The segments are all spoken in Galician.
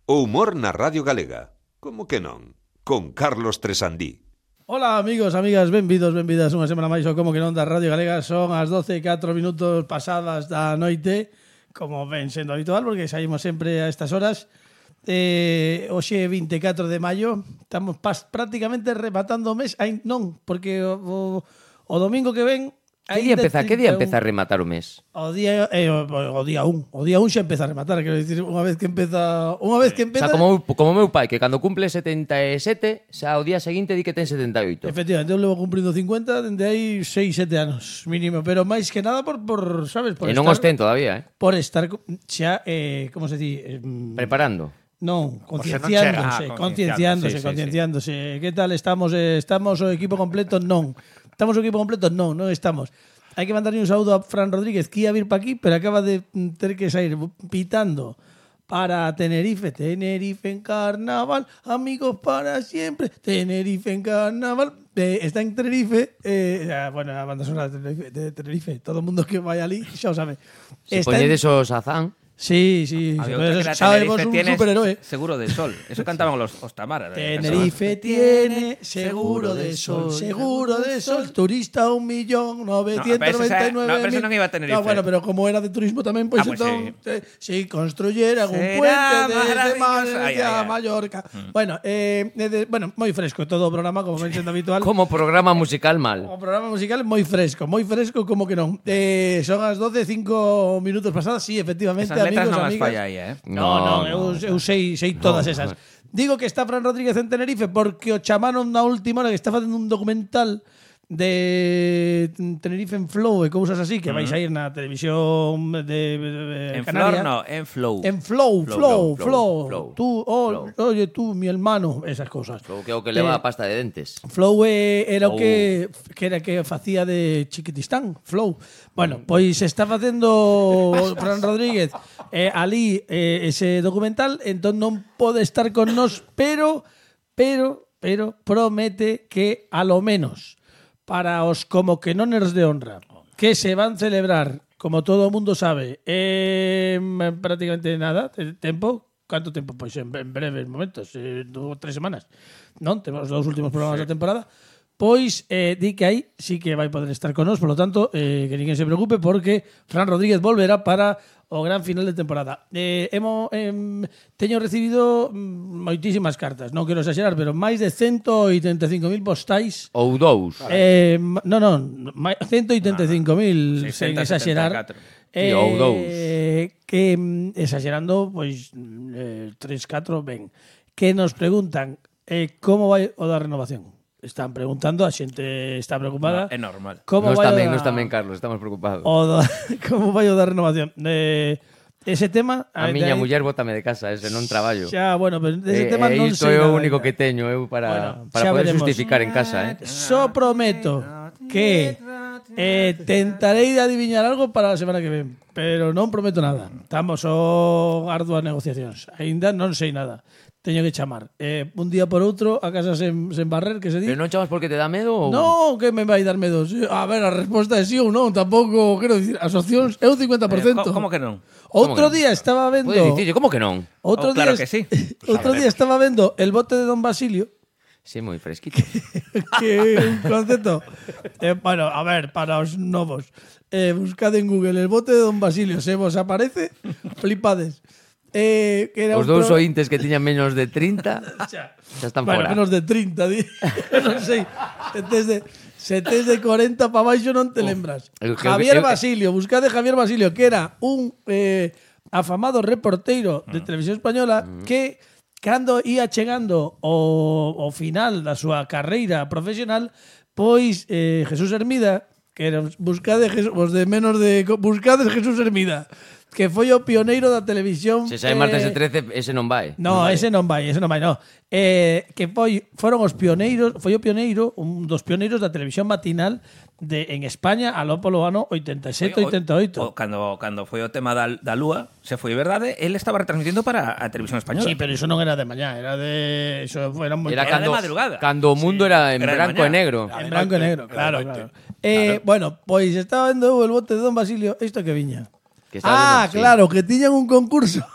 O humor na Radio Galega. Como que non? Con Carlos Tresandí. Ola amigos, amigas, benvidos, benvidas unha semana máis ao Como que non da Radio Galega. Son as 12:04 pasadas da noite, como ven sendo habitual, porque saímos sempre a estas horas. Hoxe 24 de maio, estamos prácticamente rematando o mes. Ai, non, porque o domingo que ven... Que día empeza a rematar o mes? O día 1. O día 1 xa empeza a rematar, quero dicir, unha vez que empeza... O sea, como meu pai, que cando cumple 77, xa o día seguinte di que ten 78. Efectivamente, eu levo cumprindo 50 dende hai 6-7 anos, mínimo. Pero máis que nada por sabes? Por e non os ten todavía, Por estar xa, como se di? Preparando. Non, concienciándose. Que tal estamos? Estamos o equipo completo? Non. Estamos o equipo completo? Non estamos. Hai que mandarle un saúdo a Fran Rodríguez, que ia vir para aquí, pero acaba de ter que sair pitando para Tenerife. Tenerife en carnaval, amigos para siempre. Tenerife en carnaval. Está en Tenerife. Bueno, a banda sonora de Tenerife. Todo o mundo que vai ali xa o sabe. Se poñedes o Sazán. Sí. Sabemos un superhéroe. Seguro de sol. Eso cantaban os Tamara. Tenerife tiene seguro de sol. Seguro de sol. Turista 1.999.000. No, pero eso non iba a Tenerife. No, bueno, pero como era de turismo tamén, pois entón si construyeran un puente desde Mallorca. Bueno, moi fresco todo o programa, como ven sendo habitual. Como programa musical mal. Como programa musical moi fresco, como que non. Son as 12:05 pasadas, sí, efectivamente. Letras amigos, non as amigas. falla aí, Non, eu sei todas esas. Digo que está Fran Rodríguez en Tenerife porque o chamaron na última hora que está facendo un documental de Tenerife en Flow e cousas así que vais a ir na televisión de en Canarias. Flor no, en Flow. En Flow. Tú, oye, tú, mi hermano, esas cosas. Flow que é o que leva a pasta de dentes. Flow era o que facía de Chiquitistán, Flow. Bueno, pois está facendo Fran Rodríguez ali ese documental, entón non pode estar con nós, pero promete que a lo menos para os como que noners de honra que se van celebrar, como todo o mundo sabe, prácticamente nada, tempo. Canto tempo? Pois en breves momentos, 2 ou 3 semanas. Non? Temos os 2 últimos programas da temporada. Pois di que aí sí que vai poder estar con nós, por lo tanto, que ninguén se preocupe porque Fran Rodríguez volverá para o gran final de temporada. Teño recibido moitísimas cartas, non quero exagerar, pero máis de 185.000 postais. Ou dous. 185.000, sen exagerar. Ou dous. Que exagerando, pois 3-4 ben. Que nos preguntan como vai o da renovación. Están preguntando, a xente está preocupada. É normal. Nos tamén, Carlos, estamos preocupados. Como vai o da renovación? Ese tema... A miña muller bótame de casa, ese non traballo. Xa, bueno, pero ese tema non sei. Isto é nada o único ainda. que teño eu para poder veremos. justificar en casa. Só prometo que tentarei de adiviñar algo para a semana que ven, pero non prometo nada. Estamos arduas negociacións. Ainda non sei nada. Teño que chamar. Un día por outro, a casa sen barrer, que se di. Pero non chamas porque te dá medo? Ou... Non, que me vai dar medo. A ver, a resposta é sí ou non. Tampouco, quero dicir, as opcións é un 50%. Como que non? Outro día estaba vendo... Pode dicir, como que non? Claro que sí. Outro día estaba vendo El bote de Don Basilio. Sí, moi fresquito. Que un concepto. Bueno, a ver, para os novos. Buscad en Google El bote de Don Basilio. Se vos aparece, flipades. Que era os dous ointes que tiñan menos de 30 xa están fora. Menos de 30, non sei. Se tes de 40 para baixo non te lembras. Javier Basilio, buscade Javier Basilio, que era un afamado reporteiro de televisión española que cando ia chegando o final da súa carreira profesional, pois Jesús Hermida, que era buscades Jesús Hermida, que foi o pioneiro da televisión. Se sai martes de 13, ese non vai. No, ese non vai. Que foron os pioneiros, foi o pioneiro, un dos pioneiros da televisión matinal en España aló polo ano 87-88. Cando foi o tema da Lúa, se foi verdade, el estaba retransmitindo para a televisión española. Sí, pero iso non era de mañá, era de de madrugada. Cando o mundo era en branco e negro. En branco e negro, claro. Bueno, pois estaba vendo El bote de Don Basilio, isto que viña. Claro, que tiñan un concurso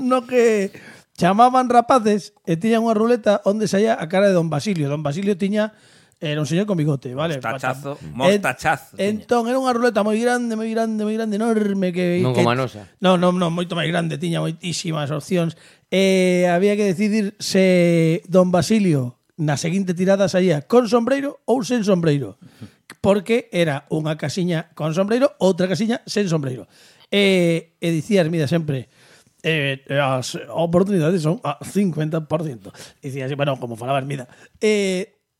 no que chamaban rapaces e tiñan unha ruleta onde saía a cara de Don Basilio. Don Basilio tiña era un señor con bigote, vale? Mostachazo. Entón, era unha ruleta moi grande, enorme que Non como a nosa. Non, moito máis grande, tiña moitísimas opcións. Había que decidir se Don Basilio na seguinte tirada saía con sombreiro ou sen sombreiro. Porque era unha casiña con sombreiro, outra casiña sen sombreiro. E dicía Hermida sempre as oportunidades son a 50%. Dicía así, bueno, como falaba Hermida.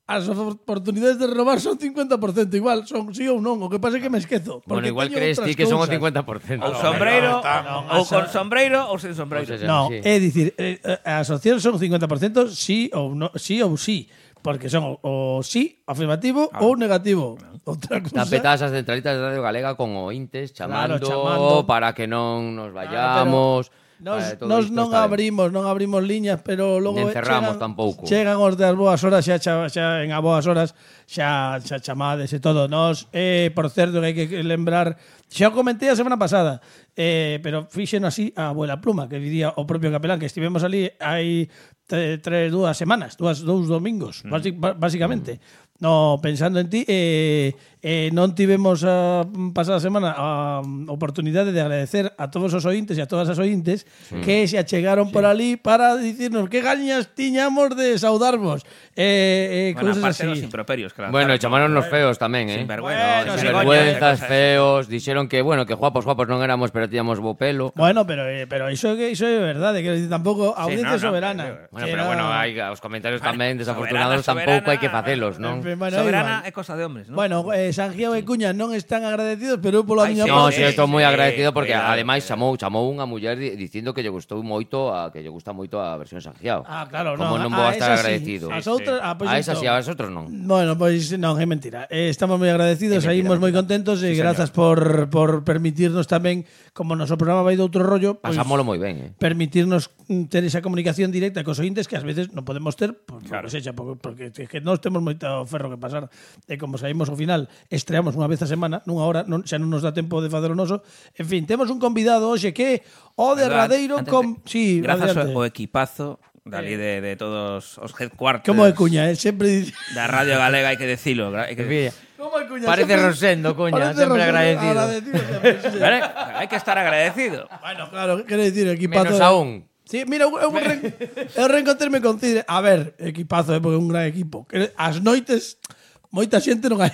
As oportunidades de renovar son 50%, igual, son sí ou non, o que pasa é que me esquezo. Bueno, igual crees ti que son o 50%. Ou sombreiro, ou con sombreiro ou sen sombreiro. No, é dicir, as opcións son 50% sí ou no, sí ou sí. Porque son o sí afirmativo ou negativo. Outra cousa. Tapetadas as centralitas de Radio Galega con ointes chamando, chamando. para que non nos vayamos. Nos non abrimos liñas, pero logo encerramos tampouco. Chegan os das boas horas, xa en a boas horas xa chamades e todo. Nos, por certo, que hai que lembrar, xa o comentei a semana pasada, pero fixen así a abuela Pluma, que diría o propio capelán, que estivemos ali hai 2 semanas, dous domingos, básicamente. No, pensando en ti, non tivemos a pasada semana a oportunidade de agradecer a todos os ointes e a todas as ointes que se achegaron por ali para dicirnos que gañas tiñamos de saudarvos. Bueno, cousas aparte así. dos improperios. Que Bueno, e chamaron nos feos tamén, Sinvergüenzas, Sinvergüenzas, feos. Dixeron que, bueno, que guapos non éramos, pero tiñamos bo pelo. Bueno, pero iso é verdade, que tampouco audiencia soberana. Bueno, pero bueno, hai os comentarios tamén desafortunados tampouco hai que facelos, non? Soberana é cosa de hombres, non? Bueno, Sangiao e Cuña non están agradecidos, pero eu pola miña No, parte- sí, estou moi agradecido porque ademais chamou unha muller dicindo que lle gustou moito que lle gusta moito a versión Sangiao. Ah, claro, Como non vou a estar esas sí. agradecido. As outras, pois A esas entón. e a outros non. Bueno, pois non, é mentira. Estamos moi agradecidos, saímos moi contentos e grazas por permitirnos tamén, como o noso programa vai de outro rollo, pois Pasámolo moi ben, permitirnos ter esa comunicación directa cos ointes que ás veces non podemos ter, porque é que nós temos moito ferro que pasar. E como saímos ao final, estreamos unha vez a semana, nunha hora, xa non nos dá tempo de facer o noso. En fin, temos un convidado hoxe que o derradeiro sí, grazas adiante. ao equipazo dali de todos os headquarters. Como é Cuña, sempre dice. Da Radio Galega, hai que dicilo. Como é Cuña? Parece Rosendo, Cuña, sempre agradecido. Vale, hai que estar agradecido. Bueno, claro, quero dicir, equipazo. Menos aún. Sí, mira, eu reencontrarme con Cidre. A ver, equipazo, porque é un gran equipo. As noites, moita xente non hai.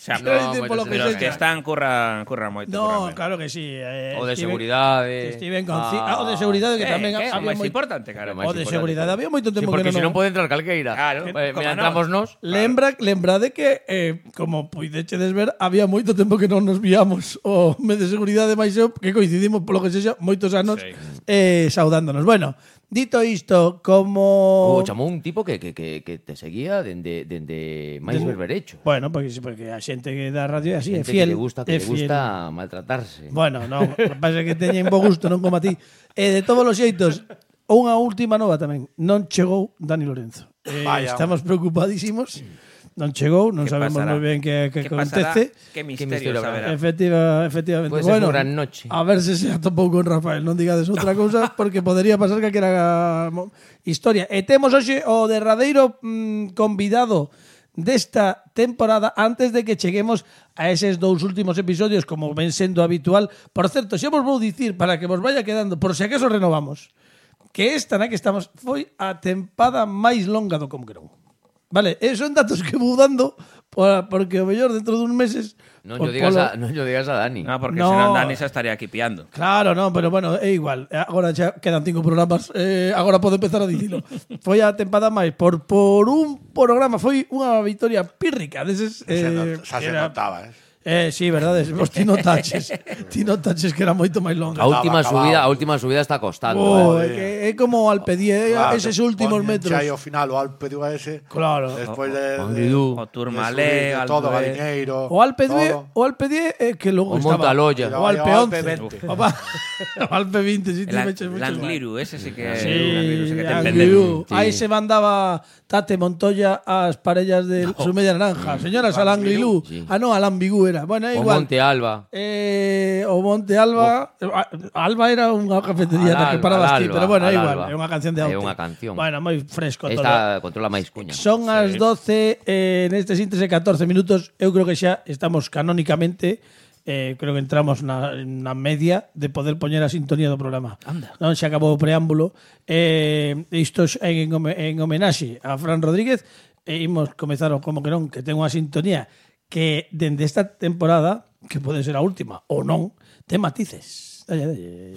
Pero os que están curran moito. No, claro que sí. O de seguridade. Estiven con o de seguridade que tamén é había máis moi importante, cara. O de seguridade había moito Sí, tempo que porque se non. non pode entrar calqueira. Claro, Mira, entramos nos. Lembrade que, como puidechedes ver, había moito tempo que non nos víamos o mes de seguridade máis eu, que coincidimos polo que sexa moitos anos saudándonos. Bueno, dito isto, como... Chamou un tipo que te seguía dende máis berberecho. Bueno, porque a xente que da radio é así, é Xente fiel. que lle gusta maltratarse. Bueno, non, o que pasa é que teñen bo gusto, non como a ti. De todos os xeitos, unha última nova tamén. Non chegou Dani Lorenzo. Estamos preocupadísimos. Non chegou, non sabemos moi ben que acontece. Que misterio saberá. Efectivamente. Puede ser unha gran noche. A ver se atopou con Rafael. Non digades outra cousa porque podería pasar que era historia. E temos hoxe o derradeiro convidado desta temporada antes de que cheguemos a eses 2 últimos episodios como ven sendo habitual. Por certo, xa vos vou dicir para que vos vaya quedando, por se acaso renovamos, que esta na que estamos foi a tempada máis longa do Conquerón. Vale, son datos que vou dando porque o mellor dentro duns meses Non yo digas a Dani. No, porque senón Dani xa estaría aquí piando. Claro, non, pero bueno, é igual. Agora xa quedan 5 programas, agora podo empezar a dicilo. Foi a tempada máis por un programa, foi unha victoria pírrica deses Xa se notaba, sí, verdade, vos ti notaches que era moito máis longa. A última subida está costando. É como o Alpedie, eses últimos metros. Xa ao final o Alpe ese. Claro. Despois de o Tourmalet, todo Galiñeiro. O Alpedie que logo O estaba. Montaloya. O Alpe o Alpe 11. O Alpe 20, si ti meches el mucho. Angliru, ese sí que Sí, que ten Languilú. Sí. Aí se mandaba Tate Montoya ás parellas de su media naranja. Señoras, a Languilú. Sí. No, a Lambigú era. Bueno, é O igual. Monte Alba. O Monte Alba. Alba era unha cafetería na que parabas ti, pero bueno, é igual. É unha canción de É Aute. unha canción. Bueno, moi fresco todo. Esta controla máis cuña. Son as 12 neste síntese 14 minutos. Eu creo que xa estamos canónicamente creo que entramos na media de poder poñer a sintonía do programa. Anda. Non se acabou o preámbulo. Isto en homenaxe a Fran Rodríguez. Imos comezar o como que non, que ten unha sintonía que dende esta temporada, que pode ser a última ou non, ten matices. Dalle, dalle.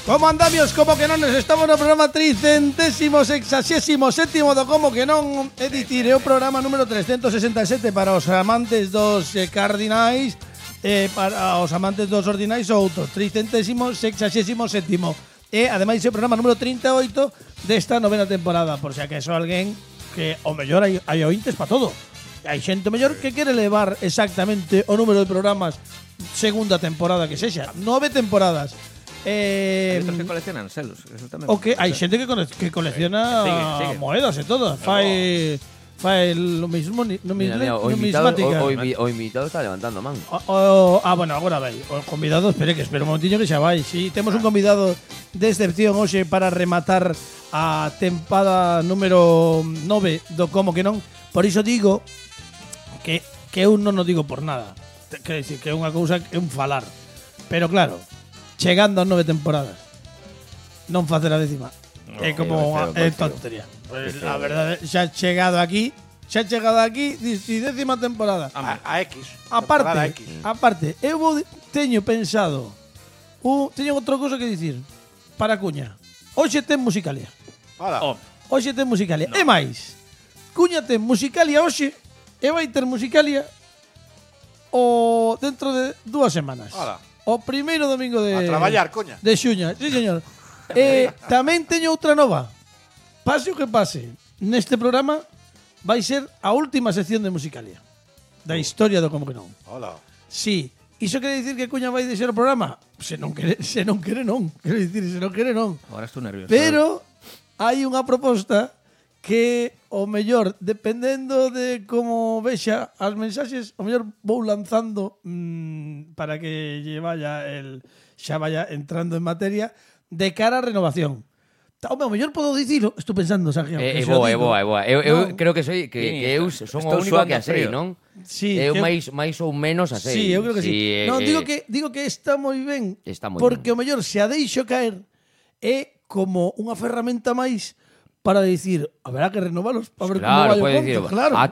Como andamios, como que non, estamos no programa 367º do Como que non, é dicir, é o programa número 367 para os amantes dos cardinais, para os amantes dos ordinais outros, 367º. E ademais é o programa número 38 desta novena temporada, por se acaso alguén que o mellor hai ointes para todo. Hai xente mellor que quere levar exactamente o número de programas segunda temporada que sexa, 9 temporadas. Hay otros que coleccionan selos. Eso tamén. O que hai xente que colecciona Sigue. moedas e todo. Fai lo mismo, Mira, o invitado, numismática. o invitado está levantando man. Bueno, agora vai. O convidado, espere un momentinho que xa vai. Si, temos un convidado de excepción hoxe para rematar a tempada número 9 do Como que non. Por iso digo que eu non o digo por nada. Quer dicir, que é unha cousa, é un falar. Pero claro, chegando a 9 temporadas, non facer a décima é como é tontería. Pues, a verdade, xa chegado aquí, si décima temporada. A X. Temporada X. Aparte, eu teño pensado, teño outra cousa que dicir para Cuña. Hoxe ten Musicalia. Hola. Hoxe ten Musicalia. E máis, Cuña ten Musicalia hoxe e vai ter Musicalia o dentro de 2 semanas. Hola. O primeiro domingo de... A traballar, coña. De xuña, sí, señor. Tamén teño outra nova. Pase o que pase, neste programa vai ser a última sección de Musicalia da historia do Como que non. Hola. Sí, iso quere dicir que Cuña vai deixar o programa? Se non quere non. Quero dicir, se non quere non. Ahora estou nervioso. Pero hai unha proposta que o mellor, dependendo de como vexa as mensaxes, o mellor vou lanzando para que xa vaya entrando en materia de cara á renovación. O mellor podo dicilo, estou pensando, Sergio. É boa. Eu creo que eu son o único que a sei, non? Sí, eu máis ou menos a sei. Sí, eu creo que sí. Non, digo que está moi ben, Está moi porque ben. o mellor se a deixo caer é como unha ferramenta máis para dicir, haberá que renovalos para ver como vai o pode conto. dicir, Claro, a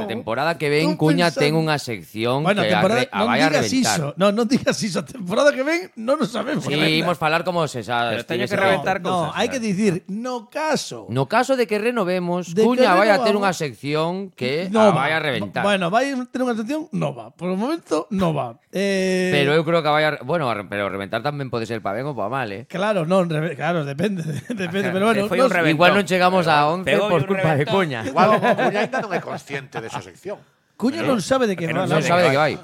temporada que ven Cuña ten unha sección bueno, que temporada, non vai a digas reventar. iso. Non digas iso. A temporada que ven non nos sabemos. Sí, imos falar como se sabe. Pero teño que reventar No, cousas. hai que dicir, no caso de que renovemos, De que Cuña vai a ter renovamos, unha sección que no vai a reventar. Bueno, vai a ter unha sección nova. Por o momento, nova. Pero eu creo que vai a... Bueno, pero reventar tamén pode ser para ben ou para mal, Claro, claro, depende. Pero bueno, Foi un reventón. Igual non chegamos a 11 Pegou por un culpa de reventón. Cuña. Igual Cuña ainda non é consciente desa sección. Cuña non sabe de que Non va. Non sabe de que vai.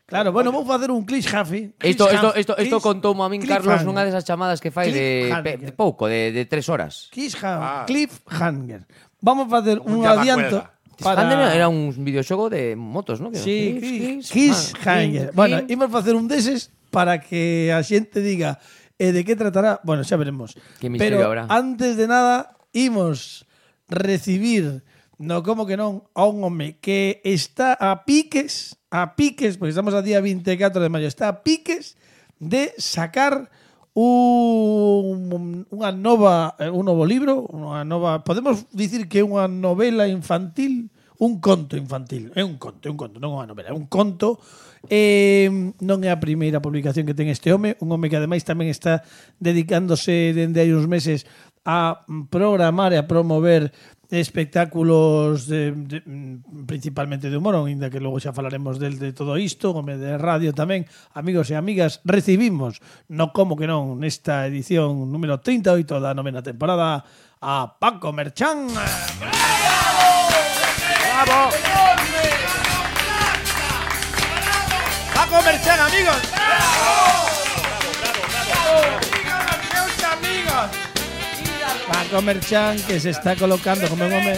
Claro, bueno, vou facer un cliffhanger. Isto contoumo a min Carlos nunha desas chamadas que fai de pouco, de 3 horas. Cliffhanger. Vamos a facer un llama adianto Para... Era un videoxogo de motos, ¿no? Sí, cliffhanger. Bueno, imos facer un deses para que a xente diga de que tratará. Bueno, xa veremos. Que misterio Pero habrá. antes de nada, imos recibir no como que non a un home que está a piques, porque estamos a día 24 de maio, está a piques de sacar un novo libro, podemos dicir que é unha novela infantil, un conto infantil, é un conto, non unha novela, é un conto. Non é a primeira publicación que ten este home, un home que ademais tamén está dedicándose dende hai uns meses a programar e a promover espectáculos principalmente de humor, ainda que logo xa falaremos de todo isto, como de radio tamén. Amigos e amigas, recibimos, no como que non, nesta edición número 38 da 9ª temporada a Paco Merchán. ¡Bravo! ¡Paco Merchán, amigos! Paco Merchán, que se está colocando como un home.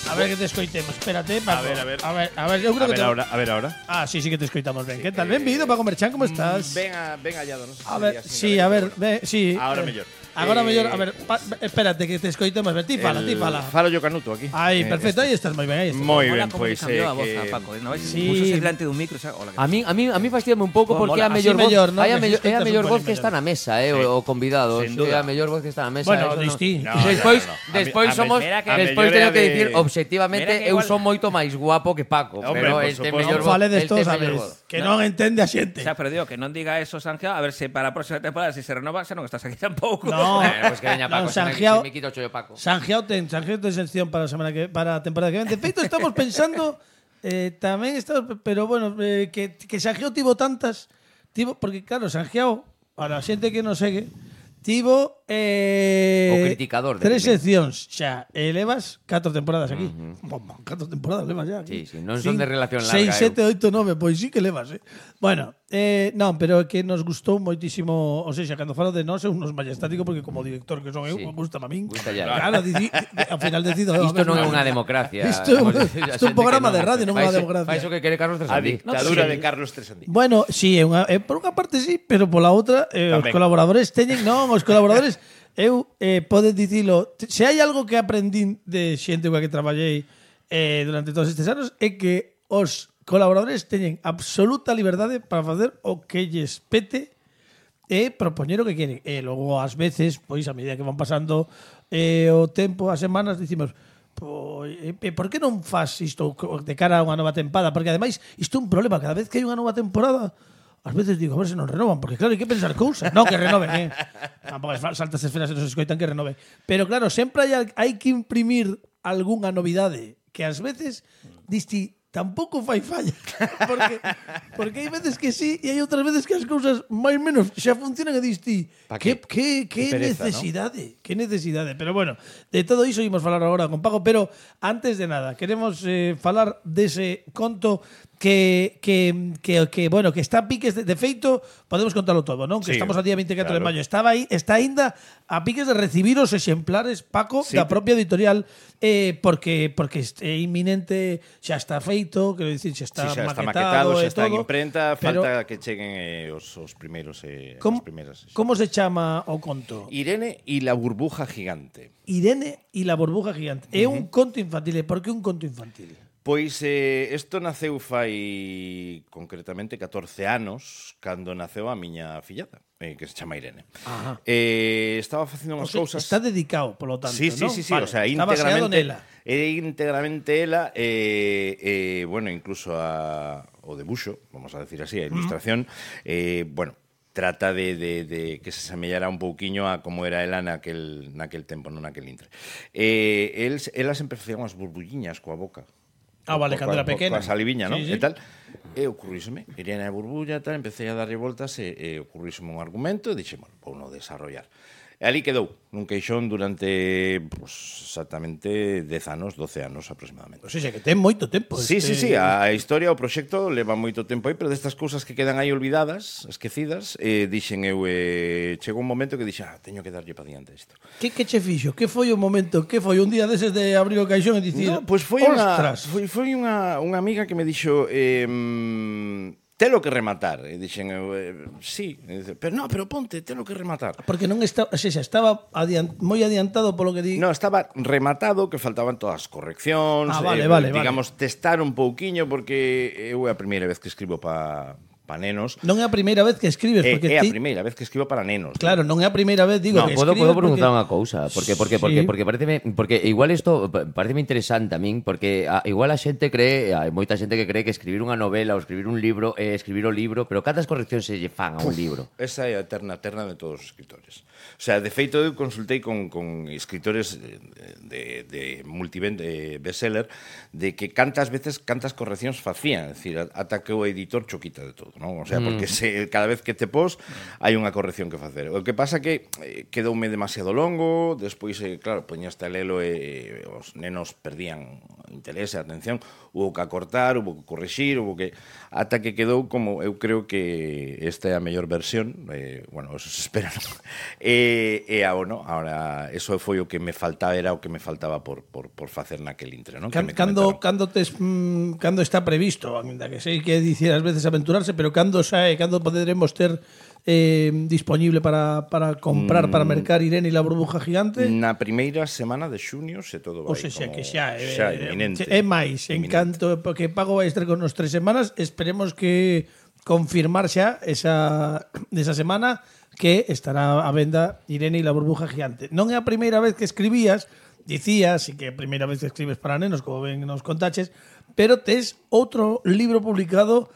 A ver que te escoitemos. Espérate, Paco. A ver, eu creo que A ver ahora. Ah, sí que te escoitamos ben. Que tal? Benvido, Paco Merchán, como estás? Ben hallado, non sei. A ver, sí, a ver, sí. Ahora mellor. Agora mellor, a ver, espérate que te escoitemos ben. Ti fala. Falo yo Canuto aquí. Aí, perfecto, aí estás moi ben, aí estás. Moi Mola ben, como pois cambiou a voz a que Paco, ¿no? Sí. Púsose delante dun micro, xa, hola. A mí fastidiame un pouco porque é a mola, mellor así voz, mellor, ¿no? é a Que mellor, se é a escoita mellor un voz pelín que está mellor. na mesa, o convidado, Sin é duda. a mellor voz que está na mesa. Bueno, eso distí. No, Despois, no. despois A somos, mira que- despois a teño mellor que é de- dicir obxectivamente Mira que eu igual- son moito máis guapo que Paco, Hombre, pero por el ten suposto. mellor Non voz, faledes el todos, ten mellor sabes, voz. que non entende a xente. Xa perdió, que non diga eso, Sanjeo, a ver se para a próxima temporada, se renova, xa non estás aquí tampouco. No. Pues que veña Paco, Non, se Sanjiao- me quito o chollo Paco. Sanjiao ten sección para a temporada que ven. De feito, estamos pensando tamén estamos, pero bueno, que Sanjiao tivo tantas, porque claro, Sanjiao, para a xente que non segue, tivo O criticador de 3 Pimen. seccións xa, e levas 4 temporadas aquí. 4 temporadas levas xa aquí. Sí, non son de relación larga, 6, 7, 8, 9, pois sí que levas, Bueno, non, pero que nos gustou moitísimo, ou seja, cando falo de nós é unos majestático porque como director que son eu, Sí. gusta a min. Gusta ya. Claro, ao final decido. Isto non é unha democracia. Isto é un- Vamos a decir, isto é un programa de radio, non Fai unha iso- democracia. Fai iso que quere Carlos a Tresandí. dictadura de Carlos Tresandí. Bueno, sí, por unha parte sí, pero pola outra os Tamén. colaboradores teñen, non, os colaboradores eu podes dicilo, se hai algo que aprendín de xente coa que traballei durante todos estes anos é que os colaboradores teñen absoluta liberdade para facer o que lles pete e propoñer o que queren. E logo ás veces, pois a medida que van pasando o tempo, as semanas, dicimos por que non faz isto de cara a unha nova tempada? Porque ademais isto é un problema, cada vez que hai unha nova temporada ás veces digo, a ver se non renovan, porque claro, hai que pensar cousas. Non, que renoven, Tampouco saltas esferas e non se escoitan que renoven. Pero claro, sempre hai que imprimir algunha novidade que ás veces disti tampouco fai falla. Porque hai veces que sí e hai outras veces que as cousas máis menos xa funcionan e disti que pereza, necesidade, que necesidade. Pero bueno, de todo iso imos falar agora con Paco, pero antes de nada, queremos falar dese conto que bueno, que está a piques de feito, podemos contalo todo, non? Que Sí, estamos a día 24 de claro. maio. Está aínda a piques de recibir os exemplares, Paco, Sí. da propia editorial, porque é inminente, xa está feito, quero dicir, xa está, Sí, xa está maquetado maquetado, e xa está en todo. imprenta, pero falta que cheguen os primeiros como, as primeiras. como se chama o conto? Irene y la burbuja gigante. Irene e la burbuja gigante. É un conto infantil. E por que un conto infantil? Pois isto naceu fai concretamente 14 anos cando naceu a miña fillada, que se chama Irene. Ajá. Estaba facendo unhas O sea, cousas. está dedicado, polo tanto, Sí, ¿no? sí, Vale. o sea, Está baseado nela. íntegramente ela, bueno, incluso o debuxo, vamos a decir así, a ilustración, bueno, trata de que se semellara un pouquiño a como era ela naquel tempo, non naquel intre. Ela sempre facía unhas burbulliñas coa boca. Ah, vale, cando era pequena. Coa saliviña, non? Sí, sí. E tal. E ocurríseme, Irene a burbulla, tal, empecé a darlle voltas e ocurríseme un argumento e dixen, bueno, vou no desarrollar. E ali quedou, nun queixón durante pues, exactamente 10 anos, 12 anos aproximadamente. O sea, que ten moito tempo. Sí, a historia, o proxecto leva moito tempo aí, pero destas cousas que quedan aí olvidadas, esquecidas, dixen eu, chegou un momento que dixen, teño que darlle pa diante isto. Que che fixo? Que foi o momento? Que foi un día deses de abrir o caixón e dicir, No, pois foi unha amiga que me dixo, telo que rematar. E dixen eu, sí, e dice, pero ponte, telo que rematar. Porque non está, o sea, estaba moi adiantado polo que di. No, estaba rematado, que faltaban todas as correccións. Ah, vale. Digamos, testar un pouquiño, porque eu é a primeira vez que escribo pa para nenos. Non é a primeira vez que escribes, porque É a primeira vez que escribo para nenos. Claro, non é a primeira vez, digo, No, que podo escribes preguntar porque... unha cousa, porque Sí. porque igual isto pareceme interesante a min, porque igual a xente cree, hai moita xente que cree que escribir unha novela ou escribir un libro é escribir o libro, pero cantas correccións se lle fan a un libro? Esa é a eterna de todos os escritores. O sea, de feito, eu consultei con escritores de multivende bestseller de que cantas correccións facían, é dicir, ata que o editor choquita de todo, non? O sea, porque cada vez que te pos hai unha corrección que facer. O que pasa que quedoume demasiado longo, despois, claro, poñaste a lelo e os nenos perdían interés e atención, hubo que acortar, hubo que corrixir, hubo que... ata que quedou como, eu creo que esta é a mellor versión, bueno, eso se espera, non? Ahora, eso foi o que me faltaba, era o que me faltaba por facer naquel intre, non? Cando está previsto, ainda que sei que dicir ás veces aventurarse, pero cando poderemos ter disponible para comprar, para mercar Irene e la burbuja gigante? Na primeira semana de xunio, se todo vai. O sea, que xa inminente. É máis, en canto porque pago vai estar con nos 3 semanas, esperemos que confirmar xa esa semana que estará a venda Irene e la burbuja gigante. Non é a primeira vez que escribías, dicías, e que é a primeira vez que escribes para nenos, como ben nos contaches, pero tes outro libro publicado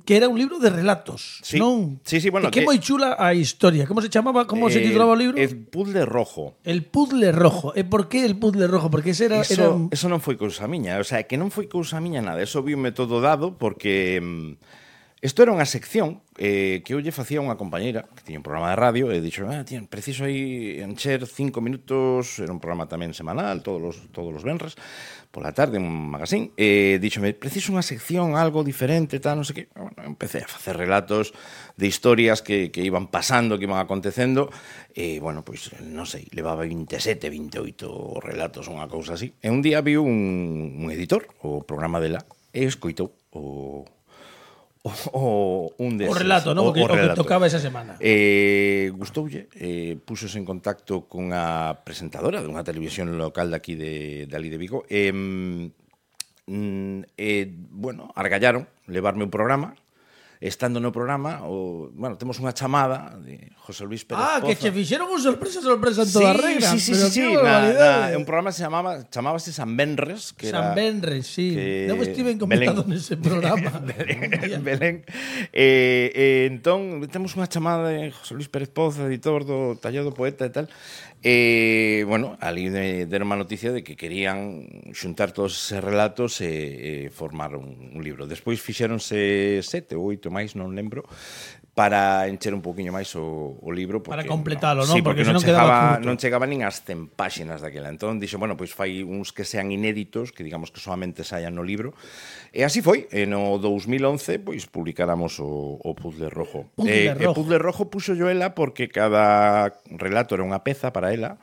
que era un libro de relatos, Sí. non? Sí, bueno, que moi chula a historia. Como se chamaba? Como se titulaba o libro? El puzzle rojo. El puzzle rojo. E por que el puzzle rojo? Porque ese era... Eso non foi cousa miña, o sea, que non foi cousa miña nada, eso viume todo dado porque isto era unha sección que eu lle facía a unha compañeira que tiña un programa de radio e dixo, tío, preciso aí encher 5 minutos, era un programa tamén semanal, todos os venres, pola tarde, un magazín, e díxome, preciso unha sección, algo diferente, tal, non sei que. Bueno, empecé a facer relatos de historias que iban pasando, que iban acontecendo, e, bueno, pois, non sei, levaba 27, 28 relatos, unha cousa así. E un día vi un editor, o programa dela, e escoitou un deses. O relato, non? O que tocaba esa semana. Gustoulle, puxose en contacto cunha presentadora dunha televisión local daqui de ali de Vigo. Bueno, argallaron levarme un programa. Estando no programa, bueno, temos unha chamada de José Luis Pérez Poza. Que che fixeron un sorpresa en toda regra. Sí. Un programa chamábase San Benres. San Benres, sí. Non estiven comentado nese programa. Belén. Entón, temos unha chamada de José Luis Pérez Poza, editor do Tallado Poeta e tal. Bueno, ali deron unha noticia de que querían xuntar todos eses relatos e formar un libro. Despois fixéronse 7 ou 8 máis, non lembro, para encher un poquinho máis o libro. Porque, para completalo, non? Sí, porque non quedaba curto. Non chegaba nin ás 100 páxinas daquela. Entón, dixo, bueno, pois fai uns que sean inéditos, que digamos que solamente saian no libro. E así foi. E no 2011, pois, publicáramos o Puzzle Rojo. O Puzzle Rojo puxo yo ela porque cada relato era unha peza para ela,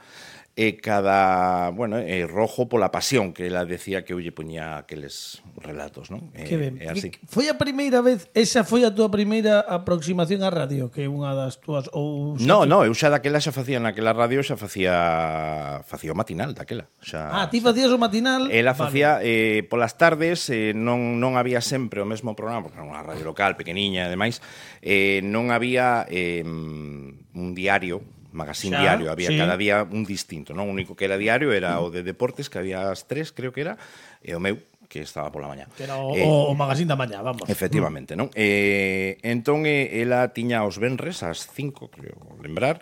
e cada, bueno, rojo pola pasión que ela decía que eu lle poñía aqueles relatos, non? Que ben. Así. Foi a primeira vez, esa foi a túa primeira aproximación á radio, que é unha das túas ou No, eu xa daquela xa facía naquela radio, xa facía o matinal daquela. Ti facías o matinal? Ela facía polas tardes, non había sempre o mesmo programa, porque era unha radio local pequeniña e demais, non había un diario, magazín diario, había cada día un distinto, non? O único que era diario era o de deportes, que había as 3, creo que era, e o meu, que estaba pola mañá. Que era o magazín da mañá, vamos. Efectivamente, non? Entón, ela tiña os venres ás 5, creo lembrar,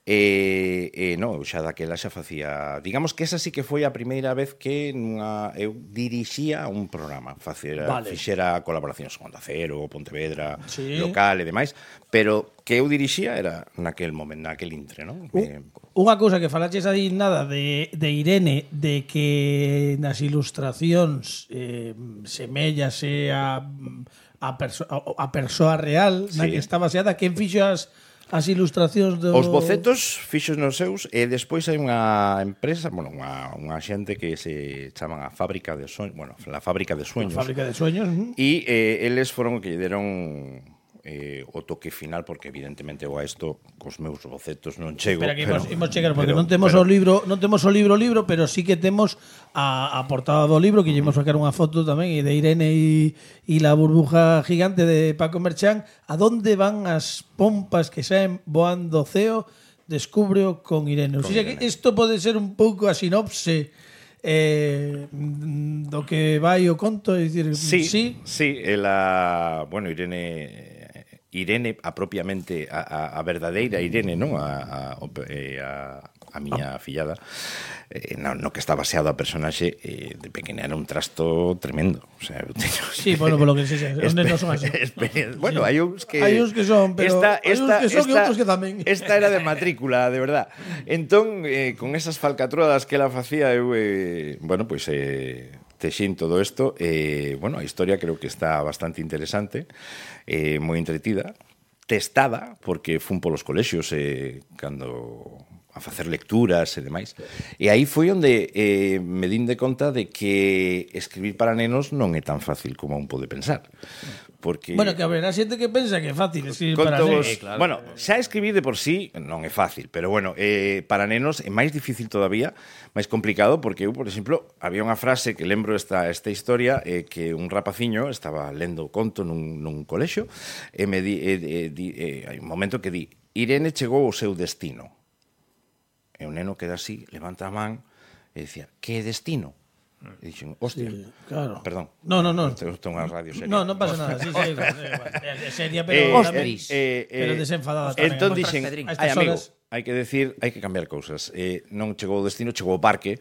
non, eu xa daquela xa facía... Digamos que esa sí que foi a primeira vez que eu dirixía un programa. Fixera colaboracións con Onda Cero, Pontevedra, local e demais, pero que eu dirixía era naquel momento, naquel intre, non? Unha cousa que falaches aí nada de Irene, de que nas ilustracións semellase a persoa real na que está baseada. Quen fixo as ilustracións do... Os bocetos fixos nos seus, e despois hai unha empresa, bueno, unha xente que se chaman a Fábrica de Sueños, bueno, la Fábrica de Sueños. A Fábrica de Sueños. E eles foron que lle deron o toque final, porque evidentemente eu a isto cos meus bocetos non chego. Espera que imos chegar, porque non temos o libro, pero sí que temos a portada do libro, que llevamos a sacar unha foto tamén, e de Irene e la burbuja gigante de Paco Merchán. A donde van as pompas que saen voando ceo? Descubreo con Irene. O sea que isto pode ser un pouco a sinopse do que vai o conto, é dicir, sí, ela, bueno, Irene propiamente a verdadeira Irene, non? A miña fillada, no que está baseado a personaxe, de pequena era un trasto tremendo. O sea, eu teño, sí, bueno, polo que sexa, os nenos son así. Bueno, hai uns que son, pero hai uns que son e outros que tamén. Esta era de matrícula, de verdad. Entón, con esas falcatruadas que ela facía, eu, bueno, pois texín todo isto. Bueno, a historia creo que está bastante interesante, moi entretida, testada, porque fun polos colexios cando a facer lecturas e demais. E aí foi onde me din de conta de que escribir para nenos non é tan fácil como un pode pensar. Porque bueno, que haberá xente que pensa que é fácil escribir para nenos. Claro. Bueno, xa escribir de por sí non é fácil, pero bueno, para nenos é máis difícil todavía, máis complicado, porque eu, por exemplo, había unha frase que lembro esta historia, que un rapaciño estaba lendo o conto nun colexio, e me hai un momento que di: Irene chegou ao seu destino. E o neno queda así, levanta a man e dicía: que destino? E dixen: hostia, sí, claro. Perdón. No. Tengo unha radio seria. No pasa nada, sí, é seria, pero pero desenfadada tamén. Entón dixen: ai, amigo, hai que decir, hai que cambiar cousas. Non chegou ao destino, chegou ao parque,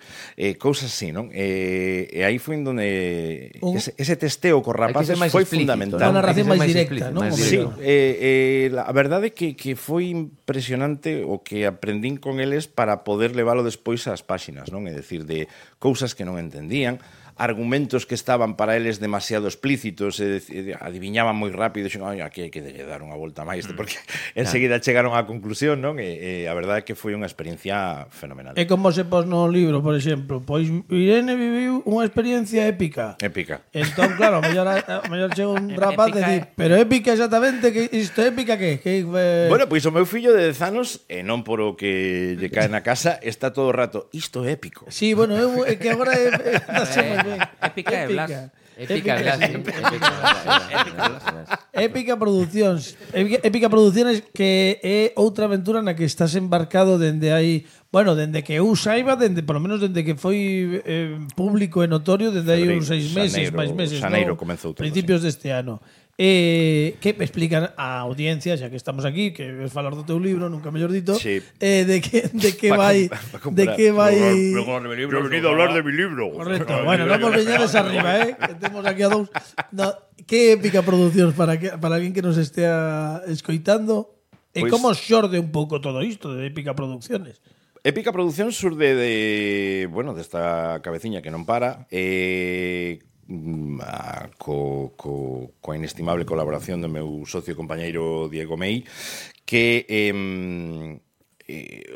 cousas así, non? E aí foi onde ese testeo cos rapaces foi fundamental. Unha narración máis directa, non? Sí, a verdade é que foi impresionante o que aprendín con eles para poder leválo despois ás páxinas, non? É dicir, de cousas que non entendían, argumentos que estaban para eles demasiado explícitos, adiviñaban moi rápido, e dixen: aquí hai que dar unha volta máis, porque enseguida chegaron á conclusión, non? E a verdade é que foi unha experiencia fenomenal. E como se pos no libro, por exemplo, pois Irene viviu unha experiencia épica. Entón, claro, a mellor chega un rapaz e di: pero épica exactamente, que isto épica que? Bueno, pois o meu fillo de 10 anos, e non por o que lle cae na casa, está todo o rato: isto é épico. Sí, bueno, é que agora Épica e Blas. Épica Producións. Épica Producións, que é outra aventura na que estás embarcado dende aí, bueno, dende que eu saiba, polo menos dende que foi público e notorio, dende aí uns 6 meses, máis meses, xaneiro comezou todo, principios deste ano. Que explican a audiencia, xa que estamos aquí, que ves falar do teu libro, nunca mellor dito, sí. De que vai... Yo he venido a hablar de mi libro. Correcto. Bueno, non nos veñades arriba, que temos aquí a dous. No, que Épica Producións para alguén que nos estea escoitando. E Pues, como xorde un pouco todo isto de Épica Producciones? Épica Produción surde desta cabeciña que non para, coa inestimable colaboración do meu socio e compañeiro Diego Mei, que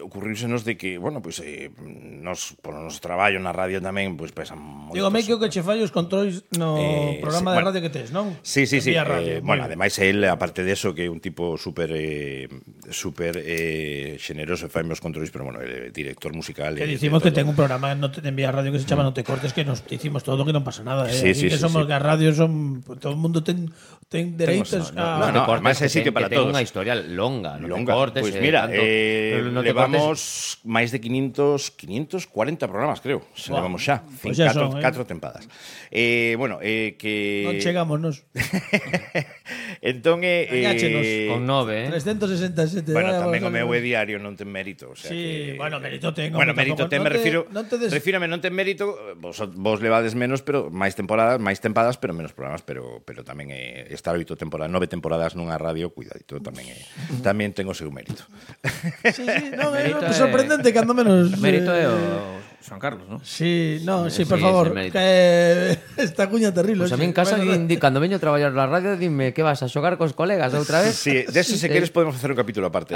ocurríusenos de que, bueno, pois nos, por o noso traballo na radio tamén, pois pesan moitos. Digo, Mei, que o que che fallo os controis no programa de radio que tes, non? Sí. Radio, bueno, ademais él, aparte de eso, que é un tipo super xeneroso e faime os controis, pero bueno, ele é director musical. Que dicimos que ten un programa en Vía Radio que se chama No te cortes, que nos dicimos todo, que non pasa nada. Sí, que somos que a radio son... Todo o mundo ten dereitos a... No, además é sitio para todos. Ten unha historia longa, non te cortes. Pois mira, levamos máis de 540 programas, creo. Se levamos xa. Pues 4 tempadas. Bueno, que... Non chegámonos. Entón, con 9, 367. Bueno, tamén o meu é diario, non ten mérito. O sea sí, que... bueno, mérito ten. Bueno, mérito ten, me refiro... Refírame, non ten mérito, vos levades menos, pero máis tempadas, pero menos programas, pero tamén estar 9 temporadas nunha radio, cuidadito, tamén ten o seu mérito. Sí, non, é sorprendente cando menos... Mérito é o Juan Carlos, ¿no? Sí, por favor, que esta cuña terrible. Pues a mí en casa, cando veño a traballar na radio, dime que vas a xogar cos colegas outra vez. Sí, de eso, se queres, podemos facer un capítulo aparte.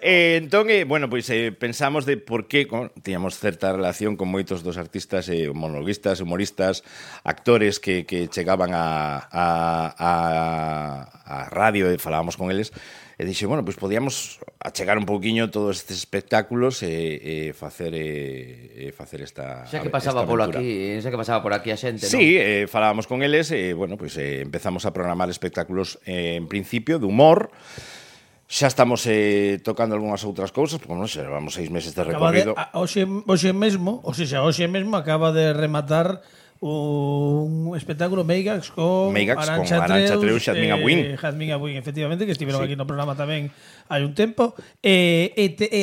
Entón, bueno, pois pensamos de por que tiñamos certa relación con moitos dos artistas, monologuistas, humoristas, actores que chegaban a radio e falábamos con eles. E dixe, bueno, pois podíamos achegar un pouquiño todos estes espectáculos e facer esta Xa que pasaba por aquí a xente, non? Sí, falábamos con eles e, bueno, pois empezamos a programar espectáculos en principio de humor. Xa estamos tocando algunhas outras cousas, porque, bueno, xa levamos 6 meses de recorrido. Hoxe mesmo acaba de rematar un espectáculo Meigax con Arantxa Treu, Xadmin Abuín. Jazmín Abuín, efectivamente, que estiveron aquí no programa tamén hai un tempo. E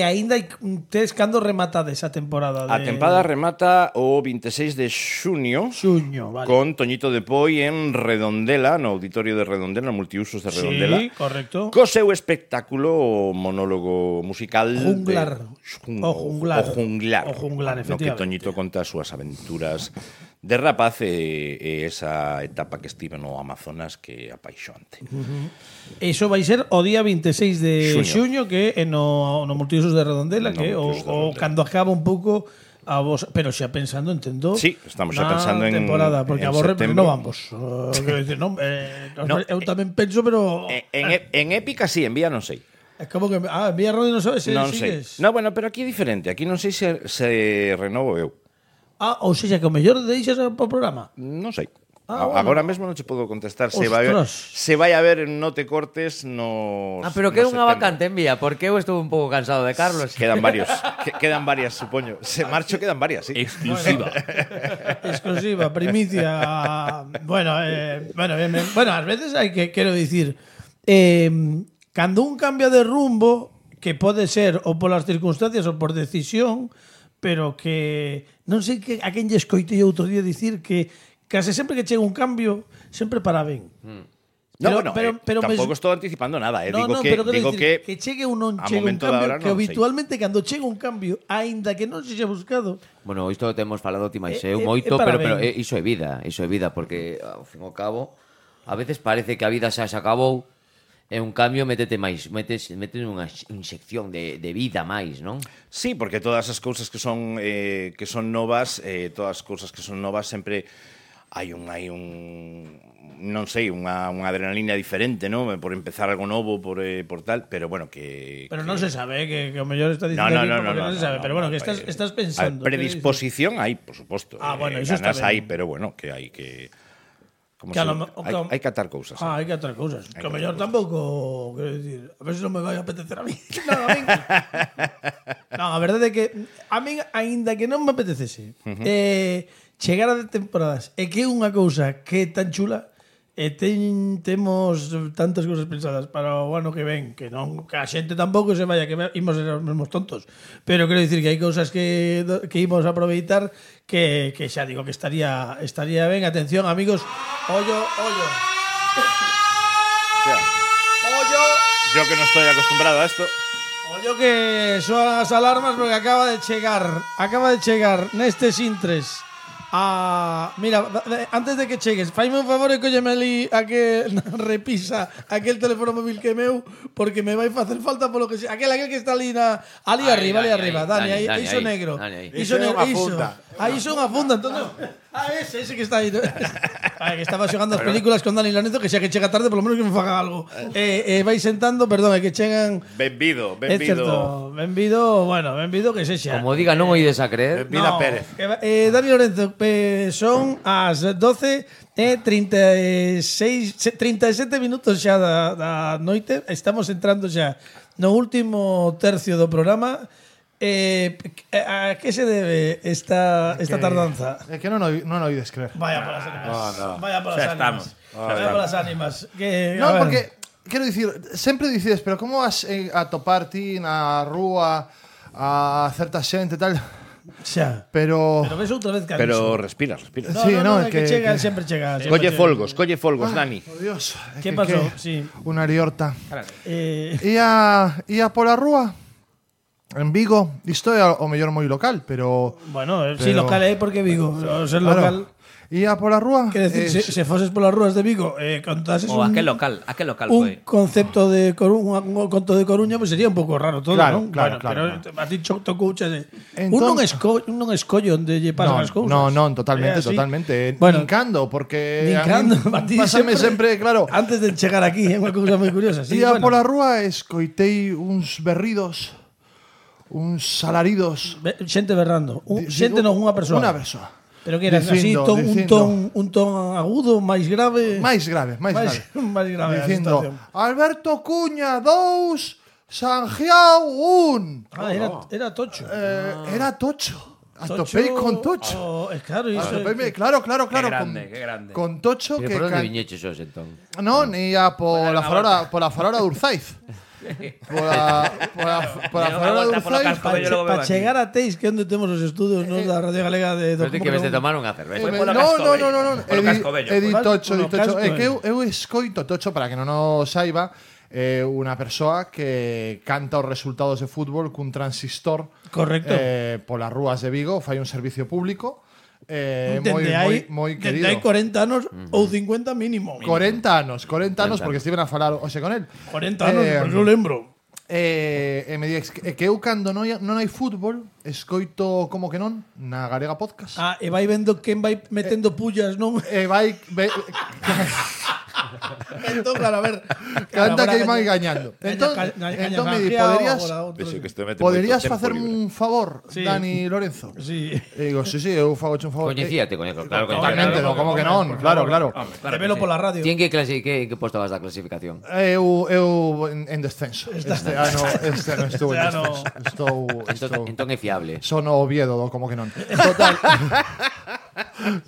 aínda tes cando rematade esa temporada? A temporada remata o 26 de xuño, vale. Con Toñito de Poi en Redondela, no auditorio de Redondela, no multiusos de Redondela. Sí, correcto. Co seu espectáculo, o monólogo musical Junglar. O Junglar, efectivamente. No que Toñito conta as súas aventuras de rapaz e esa etapa que estive no Amazonas que é apaixonante. Iso vai ser o día 26 de xuño, que é no Multiusos de Redondela, que o cando acaba un pouco a vos, pero xa pensando, entendo. Sí, estamos xa pensando en temporada, porque a vos renovamos. Quero dicir, eu tamén penso, pero en épica sí, en vía non sei. É como que en vía Rodi non sabes se non sigues. Sei. No, bueno, pero aquí é diferente. Aquí non sei se renovo eu. Ou seja, que o mellor deixas o programa. Non sei. Bueno. Agora mesmo non che podo contestar se vai a haber No Te Cortes nos pero que é unha vacante en vía, porque eu estou un pouco cansado de Carlos. Quedan varias, supoño. Se marcho quedan varias, sí. Exclusiva. Exclusiva, primicia. Bueno, ás veces hai que, quero dicir, cando un cambia de rumbo, que pode ser ou polas circunstancias ou por decisión, pero que non sei que a quen lle escoitei outro día dicir que case sempre que chega un cambio sempre para ben. Pero tampouco estou anticipando nada, digo que chegue ou non chegue un cambio, que habitualmente cando chega un cambio, aínda que non se xa buscado. Bueno, isto temos falado ti máis eu moito, pero iso é vida, porque ao fin ao cabo a veces parece que a vida xa se acabou. É un cambio, metes unha inyección de vida máis, non? Sí, porque todas as cousas que son novas, sempre hai un non sei, unha adrenalina diferente, non? Por empezar algo novo, por tal, pero bueno, que Pero non se sabe, que o mellor está dicindo non se sabe, pero bueno, que estás pensando. Predisposición hai, por suposto. Bueno, iso está ben. Hai, pero bueno, que hai que hai que atar cousas. Hai que atar cousas. Que o mellor tampouco, quero dicir, a ver se non me vai a apetecer a mí. Non, a verdade é que a mí, aínda que non me apetecese, chegar a temporadas e que é unha cousa que é tan chula, e temos tantas cousas pensadas para o ano que ven, que non que a xente tampouco se vaya, que imos ser os mesmos tontos, pero quero dicir que hai cousas que imos aproveitar que xa digo que estaría ben. Atención, amigos, ollo. Yo que non estou acostumbrado a esto. Ollo que soan as alarmas porque acaba de chegar nestes intres. Mira, antes de que chegues, faime un favor e cólleme ali a que repisa aquel teléfono móvil que é meu, porque me vai facer falta polo que sea. Aquel que está ali arriba, Dani, aí, iso negro. Iso é unha funda. Aí iso é unha funda, entón. Ese que está aí. Que estaba xogando as películas con Dani Lorenzo, que xa que chega tarde, polo menos que me faga algo. Vai sentando, perdón, é que chegan. Benvido. É certo, benvido que sexa. Como diga, non o ides a creer. Benvida Pérez. Dani Lorenzo, son as 12:37 minutos xa da noite. Estamos entrando xa no último tercio do programa. A que se debe esta tardanza? É que non oides creer. Vaya polas ánimas. Vaya polas ánimas. Porque, quero dicir, sempre dicides, pero como vas a topar ti na rúa a certa xente e tal? Xa. Pero ves outra vez que Pero respira. No, que chega, sempre chega. Colle folgos, Dani. Oh, Dios. Que pasou? Sí. Unha liorta. Ia pola rúa en Vigo, isto é o mellor moi local, pero bueno, si local é porque Vigo, ser local. Ía pola rúa. Que decir, se foses polas rúas de Vigo, contases O aquel local un foi. concepto de un conto de Coruña, pues sería un pouco raro todo, Claro, non? claro, Bueno, claro, pero a ti tocouche de Entón- un non escollo onde lle pasan as cousas. No, totalmente, É así. totalmente. Bueno, Nincando, porque Nincando, a a ti mí pásame sempre, claro. Antes de chegar aquí, é unha cousa moi curiosa. Sí, Ía bueno. pola rúa e escoitei uns berridos, uns alaridos. Xente berrando. Xente non, unha persoa. Unha persoa. Pero que era así, un ton agudo, máis grave. Máis grave. máis grave a Dicindo, situación. Alberto Cuña 2, Sanjiao 1. Era Tocho. Era Tocho. Atopei con Tocho. Claro, iso. Claro. Qué grande. Con Tocho Pero que por onde viñeches os, entón? Non, ia pola farora de Urzaiz. Pola farora de Urzaiz. Para chegar a Teis, que é onde temos os estudios nos da Radio Galega de Pero ti que ves de tomar unha cerveza. Foi polo No. Cascobello. Polo Cascobello, Edi foi. Tocho, Polo Tocho. É que Casco, eu escoito Tocho, para que non o saiba, unha persoa que canta os resultados de fútbol cun transistor Correcto. polas rúas de Vigo, fai un servicio público moi Dende querido. hai 40 anos ou 50 mínimo. 40 anos, porque estiven a falar hoxe con el. 40 anos, pois eu lembro. E me dix que eu cando non hai fútbol escoito como que non na Galega Podcast. E vai vendo quen vai metendo pullas, non? E vai Entón, claro, a ver. canta que vai gaña. gañando. Entón me di, poderías Poderías facerme un favor, Sí. Dani Lorenzo? Sí. E digo, sí, eu fago un favor. Coñecíate, claro. Totalmente, claro, como que claro, non, claro. Te velo pola radio. Ti en que posto vas da clasificación? Eu en descenso. Este ano estou en descenso. Entón é fiable. Son o Oviedo, como que non.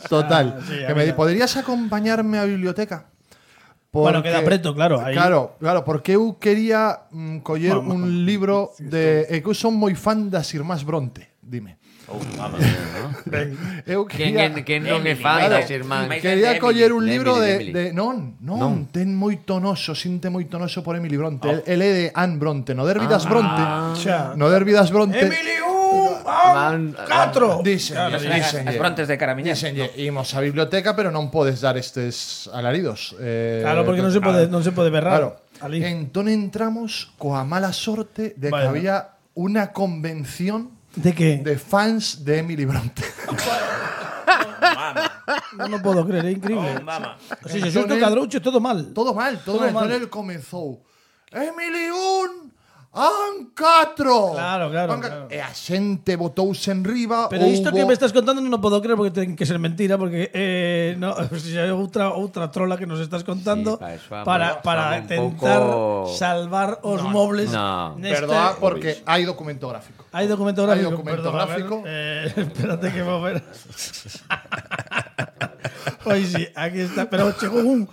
Total. Sí, Que me di, poderías acompañarme á biblioteca? Bueno, queda preto, claro. Aí. Claro, porque eu quería coller un libro de... É que eu son moi fan das Irmás Bronte, dime. Eu quería... Quen non é fan das irmán? Quería coller un de libro Emily. de non, ten moito noso, sinte moito noso por Emily Bronte. El é de Anne Bronte, no derbi das Bronte. Xa. No derbi das Bronte. Emily, 4. Díxenlle. As frontes de Caramiñán. Díxenlle, imos á biblioteca, pero non podes dar estes alaridos. Claro, porque non se pode berrar. Claro. Ali. Entón entramos coa mala sorte de que Vale. había unha convención De que? de fans de Emily Bronte. Non o podo creer, é increíble. Mama. Si se xusto cadrouche todo mal. Todo mal. Todo Entón mal. el comezou. Emily 1, An 4. Claro. E a xente botouse en riba. Pero isto que me estás contando non o podo creer porque ten que ser mentira porque no, é outra trola que nos estás contando Sí, para un tentar pouco- salvar os mobles. No. Perdoa, porque hai documento gráfico. Hai documento gráfico. Hai documento perdón, a ver, gráfico. Espérate que vou ver. Pois sí, aquí está. Pero chegou un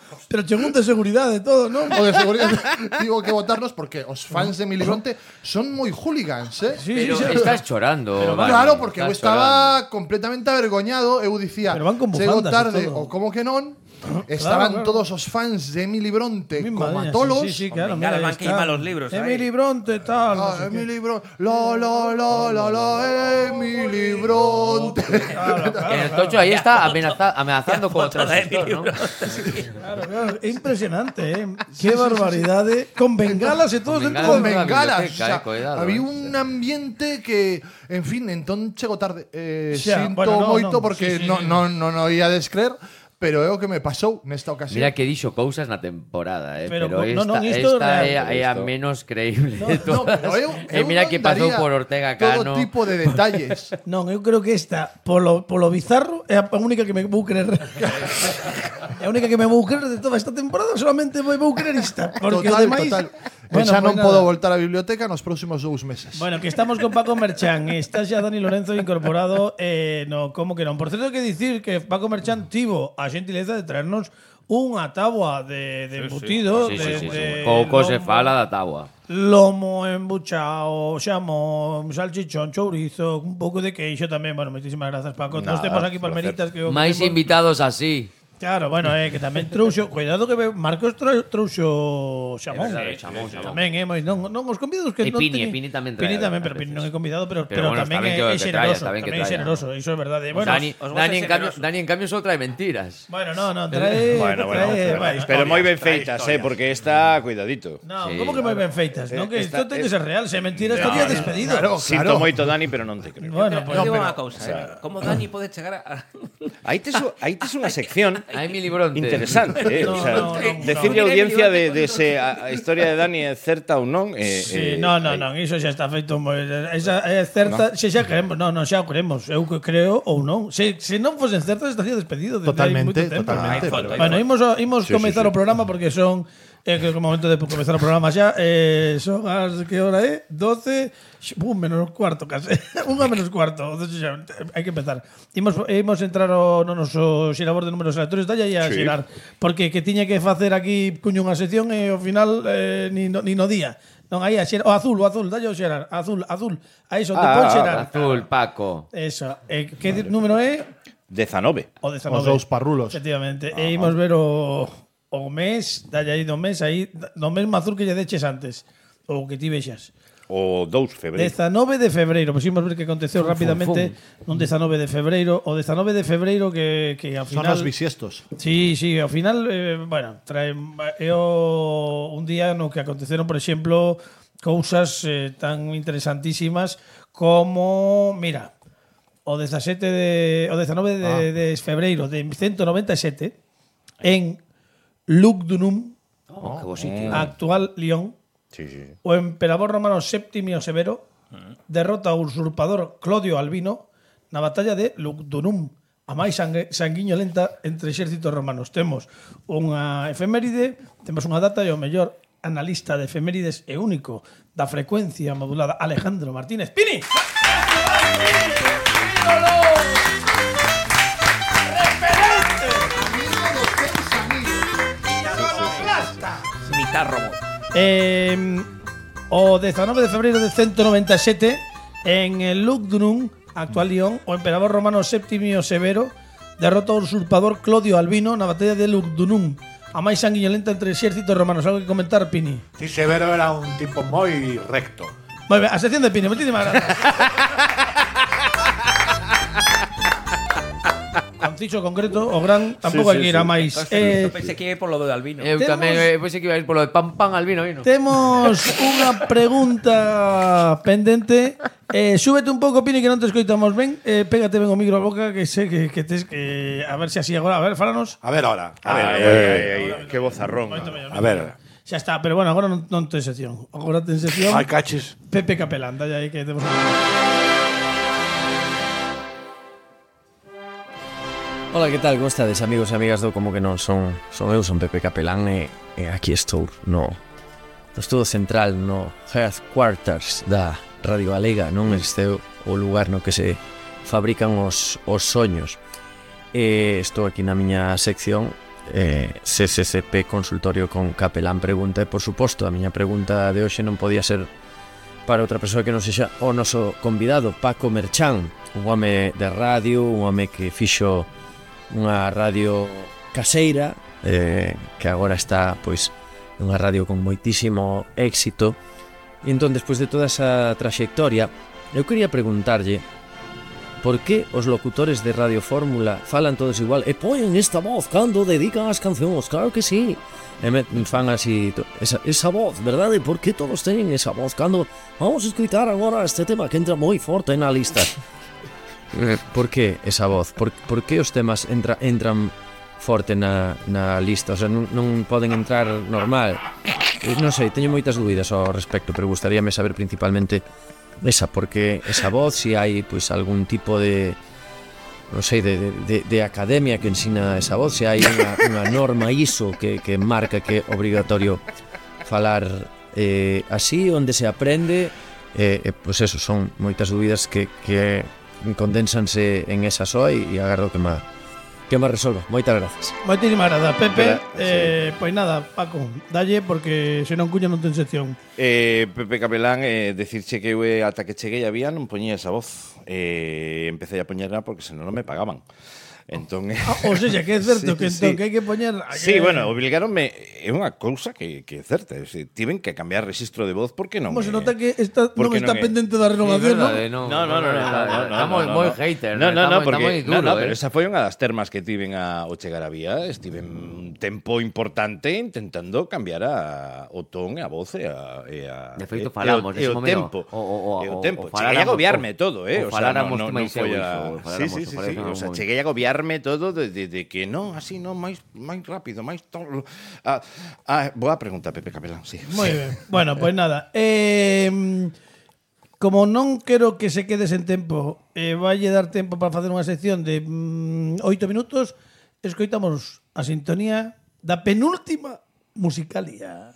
de seguridade todo, non? O de seguridade. Digo que votarnos porque os fans de Emily Bronte son moi hooligans, Sí, Pero sí. estás chorando. Vani, Claro, porque eu estás chorando. estaba completamente avergoñado. Eu dicía, Pero van con chego bufandas e tarde, todo. ou como que non. Estaban claro. todos os fans de Emily Bronte Mi como madre, a tolos. Sí, claro. Venga, Mira, van ahí que está. ima los libros ahí. Emily Bronte, tal. no Ah, sé qué. Emily Bronte. Emily Bronte. El Tocho ahí está amenazando con Foto de transistor, ¿no? Claro, é impresionante, Qué barbaridade. Con bengalas e todos Con dentro Con de bengalas. bengalas. biblioteca, cuidado, había un ambiente que, en fin, entón chego tarde. Xa, Sinto bueno, no, moito no, porque sí, non o ia descreer, pero é o que me pasou nesta ocasión. Mira que dixo cousas na temporada, Pero pero no, esta, isto esta é é a menos creíble de No, todas. pero Mira que pasou daría por Ortega todo Cano. tipo de detalles. Non, eu creo que esta, polo bizarro, é a única que me vou creer. É a única que me vou creer de toda esta temporada, solamente vou creer esta. Porque Total, o demais... total. Bueno, Xa non pues podo nada. voltar á biblioteca nos próximos 2 meses. Bueno, que estamos con Paco Merchán. Está xa Dani Lorenzo incorporado no como que non. Por certo, que dicir que Paco Merchán tivo a xentileza de traernos unha táboa de embutido. Sí, sí, sí, de Pouco lomo, se fala da táboa. Lomo embuchao, xamón, salchichón, chourizo, un pouco de queixo tamén. Bueno, moitísimas grazas, Paco. Nos temos aquí palmeritas que Máis invitados así. Claro, bueno, que tamén trouxo, cuidado que Marcos trouxo xamón. Xamón. Tamén, non os convidados que E non Pini, teñen- Pini tamén trae, Pini tamén, a pero Pini veces. non é convidado, pero bueno, tamén está ben é que traia, xeneroso, está ben que tamén é traia. xeneroso, iso é verdade. Bueno, Dani en cambio só trae mentiras. bueno, no, trae Pero moi ben feitas, porque está cuidadito. No, Sí, como que moi ben feitas, non? Que isto ten que ser real, se mentira estaría despedido. Sinto moito, Dani, pero non te creo. Bueno, Pero pues digo unha cousa, como Dani pode chegar a... Aí tes unha sección Hai Mili Bronte. interesante, No, o sea, no, decirle á audiencia de se a historia de Dani é certa ou non. Sí, non, iso xa está feito moi... Esa é certa, xa queremos, xa o queremos, eu que creo ou non. Se non fosen certas estaría despedido desde hai moito Totalmente, tempo. totalmente. Bueno, imos comezar o programa porque son que é o momento de comezar o programa xa. Son as que hora é? 12, menos cuarto case. 1 menos cuarto. Xa, hai que empezar. Imos entrar no noso xirador de números aleatorios, dalle aí a xirar, porque que tiña que facer aquí cuño unha sección e ao final ni no día. Non, aí a xerar, o azul, dalle o xerar, azul. Aí son de pon xerar. Azul, Paco. Eso. Que número é? 19. O 19. Os dous parrulos. Efectivamente. E imos ver o mes, dalle aí do mes, aí, do mesmo azul que lle deches antes. Ou que ti vexas. O 2 de febreiro. 19 de febreiro. Pois imos ver que aconteceu rapidamente nun 19 de febreiro. O 19 de febreiro que ao Son final... os bisiestos. Sí, ao final, bueno, trae un día no que aconteceron, por exemplo, cousas tan interesantísimas como, mira, o 19 de febreiro de 197 en Lugdunum, Que bo sitio. actual Lyon, Sí. o emperador romano Septimio Severo derrota ao usurpador Clodio Albino na batalla de Lugdunum, a máis sanguiñolenta entre exércitos romanos. Temos unha efeméride, temos unha data e o mellor analista de efemérides e único da frecuencia modulada, Alejandro Martínez Pini. Mitad robot. O 19 de febreiro de 197 en el Lugdunum, actual Lyon, o emperador romano Septimio Severo derrota ao usurpador Clodio Albino na batalla de Lugdunum, a máis sanguiñolenta entre exércitos romanos. Algo que comentar, Pini? Sí, Severo era un tipo moi recto. Moi ben, a sección de Pini, moitísimas grazas. Conciso, concreto, o gran, tampouco hai que ir a máis. Pensei que ia por lo de Albino. Eu Temos- tamén pensei que iba a ir polo de pan albino, vino. Temos unha pregunta pendente. Súbete un pouco, Pini, que non te escoitamos ben. Pégate ben o micro a boca, que sei que tes que... A ver se así agora. A ver, fálanos. A ver ahora. Ai, que vozarrón. A ver. Xa está, pero bueno, agora non ten sección. Agora ten sección Ai, cachis. Pepe Capelán. Dalle aí que temos un... Ola, que tal? Como estades, amigos e amigas do Como que non? Son eu, son Pepe Capelán e aquí estou no estudo central, no headquarters da Radio Galega, non? Este é o lugar no que se fabrican os soños. Estou aquí na miña sección CCCP Consultorio con Capelán Pregunta e, por suposto, a miña pregunta de hoxe non podía ser para outra persoa que non sexa o noso convidado, Paco Merchán, un home de radio, un home que fixo unha radio caseira que agora está pois nunha radio con moitísimo éxito. E entón, despois de toda esa traxectoria, eu quería preguntarlle por que os locutores de Radio Fórmula falan todos igual e poñen esta voz cando dedican as cancións. Claro que sí, e me fan así esa voz, verdade? Por que todos teñen esa voz cando vamos a escutar agora este tema que entra moi forte na lista? Por que esa voz? Por que os temas entran forte na lista? O sea, non poden entrar normal? Non sei, teño moitas dúbidas ao respecto, pero gustaríame saber principalmente esa, porque esa voz, se hai pois algún tipo de non sei, de academia que ensina esa voz, se hai unha norma ISO que marca que é obrigatorio falar así, onde se aprende, pois eso, son moitas dúbidas que condensanse en esa soa e agardo que me resolva. Moitas grazas. Moitísimas grazas, Pepe. Sí. Pois nada, Paco, dalle, porque se non cuña non ten sección. Pepe Capelán, decirche que eu ata que cheguei a vía non poñía esa voz. Empecé a poñerla porque senón non me pagaban. Entón, Ou seja, que é certo que entón que hai que poñer... Sí, bueno, obligaronme, é unha cousa que é certa, tiven que cambiar registro de voz porque non. Como se nota que non está pendente da renovación, non? No, estamos moi haters. No, porque pero esa foi unha das termas que tiven ao chegar a vía, estiven un tempo importante intentando cambiar o ton e a voz e a de feito falamos e o tempo. O tempo. Cheguei a agobiarme todo, o sea, non foi a... Sí, o sea, cheguei a agobiarme todo de que non, así non, máis rápido, máis... Boa pregunta, Pepe Capelán, sí. Moi ben. Bueno, pois nada. Como non quero que se quede sen tempo, valle dar tempo para facer unha sección de 8 minutos, escoitamos a sintonía da penúltima musicalia.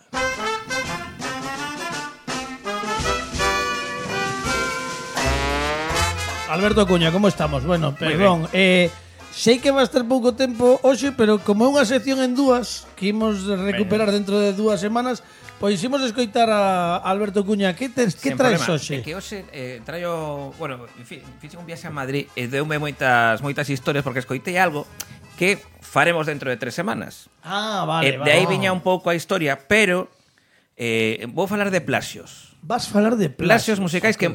Alberto Cuña, como estamos? Bueno, perdón, sei que va a estar pouco tempo hoxe, pero como é unha sección en dúas que imos recuperar dentro de 2 semanas, pois imos escoitar a Alberto Cuña. Que traes hoxe? Que hoxe traio, bueno, en fin, fixe un viaxe a Madrid e deume moitas historias porque escoitei algo que faremos dentro de 3 semanas. Vale. De aí viña un pouco a historia, pero vou falar de plaxios. Vas falar de plaxios musicais que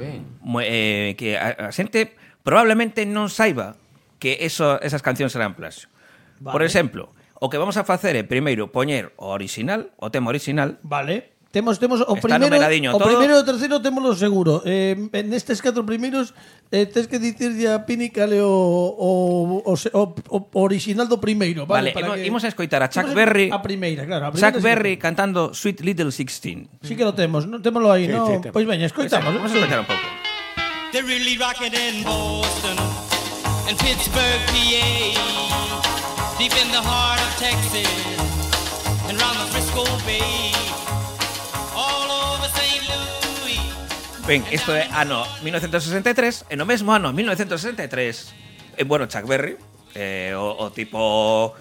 a xente probablemente non saiba que esas cancións eran plaxio. Vale. Por exemplo, o que vamos a facer é primeiro poñer o original, o tema original. Vale. Temos o primeiro e o terceiro témolo seguro. Nestes 4 primeiros tes que dicirlle a Pini cale o original do primeiro, vale? Imos a escoitar a Chuck Berry. A primeira, claro. Chuck Berry cantando Sweet Little 16. Sí que lo temos, témolo aí, non? Pois veña, escoitamos. Vamos a escoitar un pouco. They're really rocking in Boston and Pittsburgh, PA, deep in the heart of Texas and round the Frisco Bay, all over St. Louis. Ben, isto é ano 1963, e no mesmo ano 1963, bueno, Chuck Berry, o tipo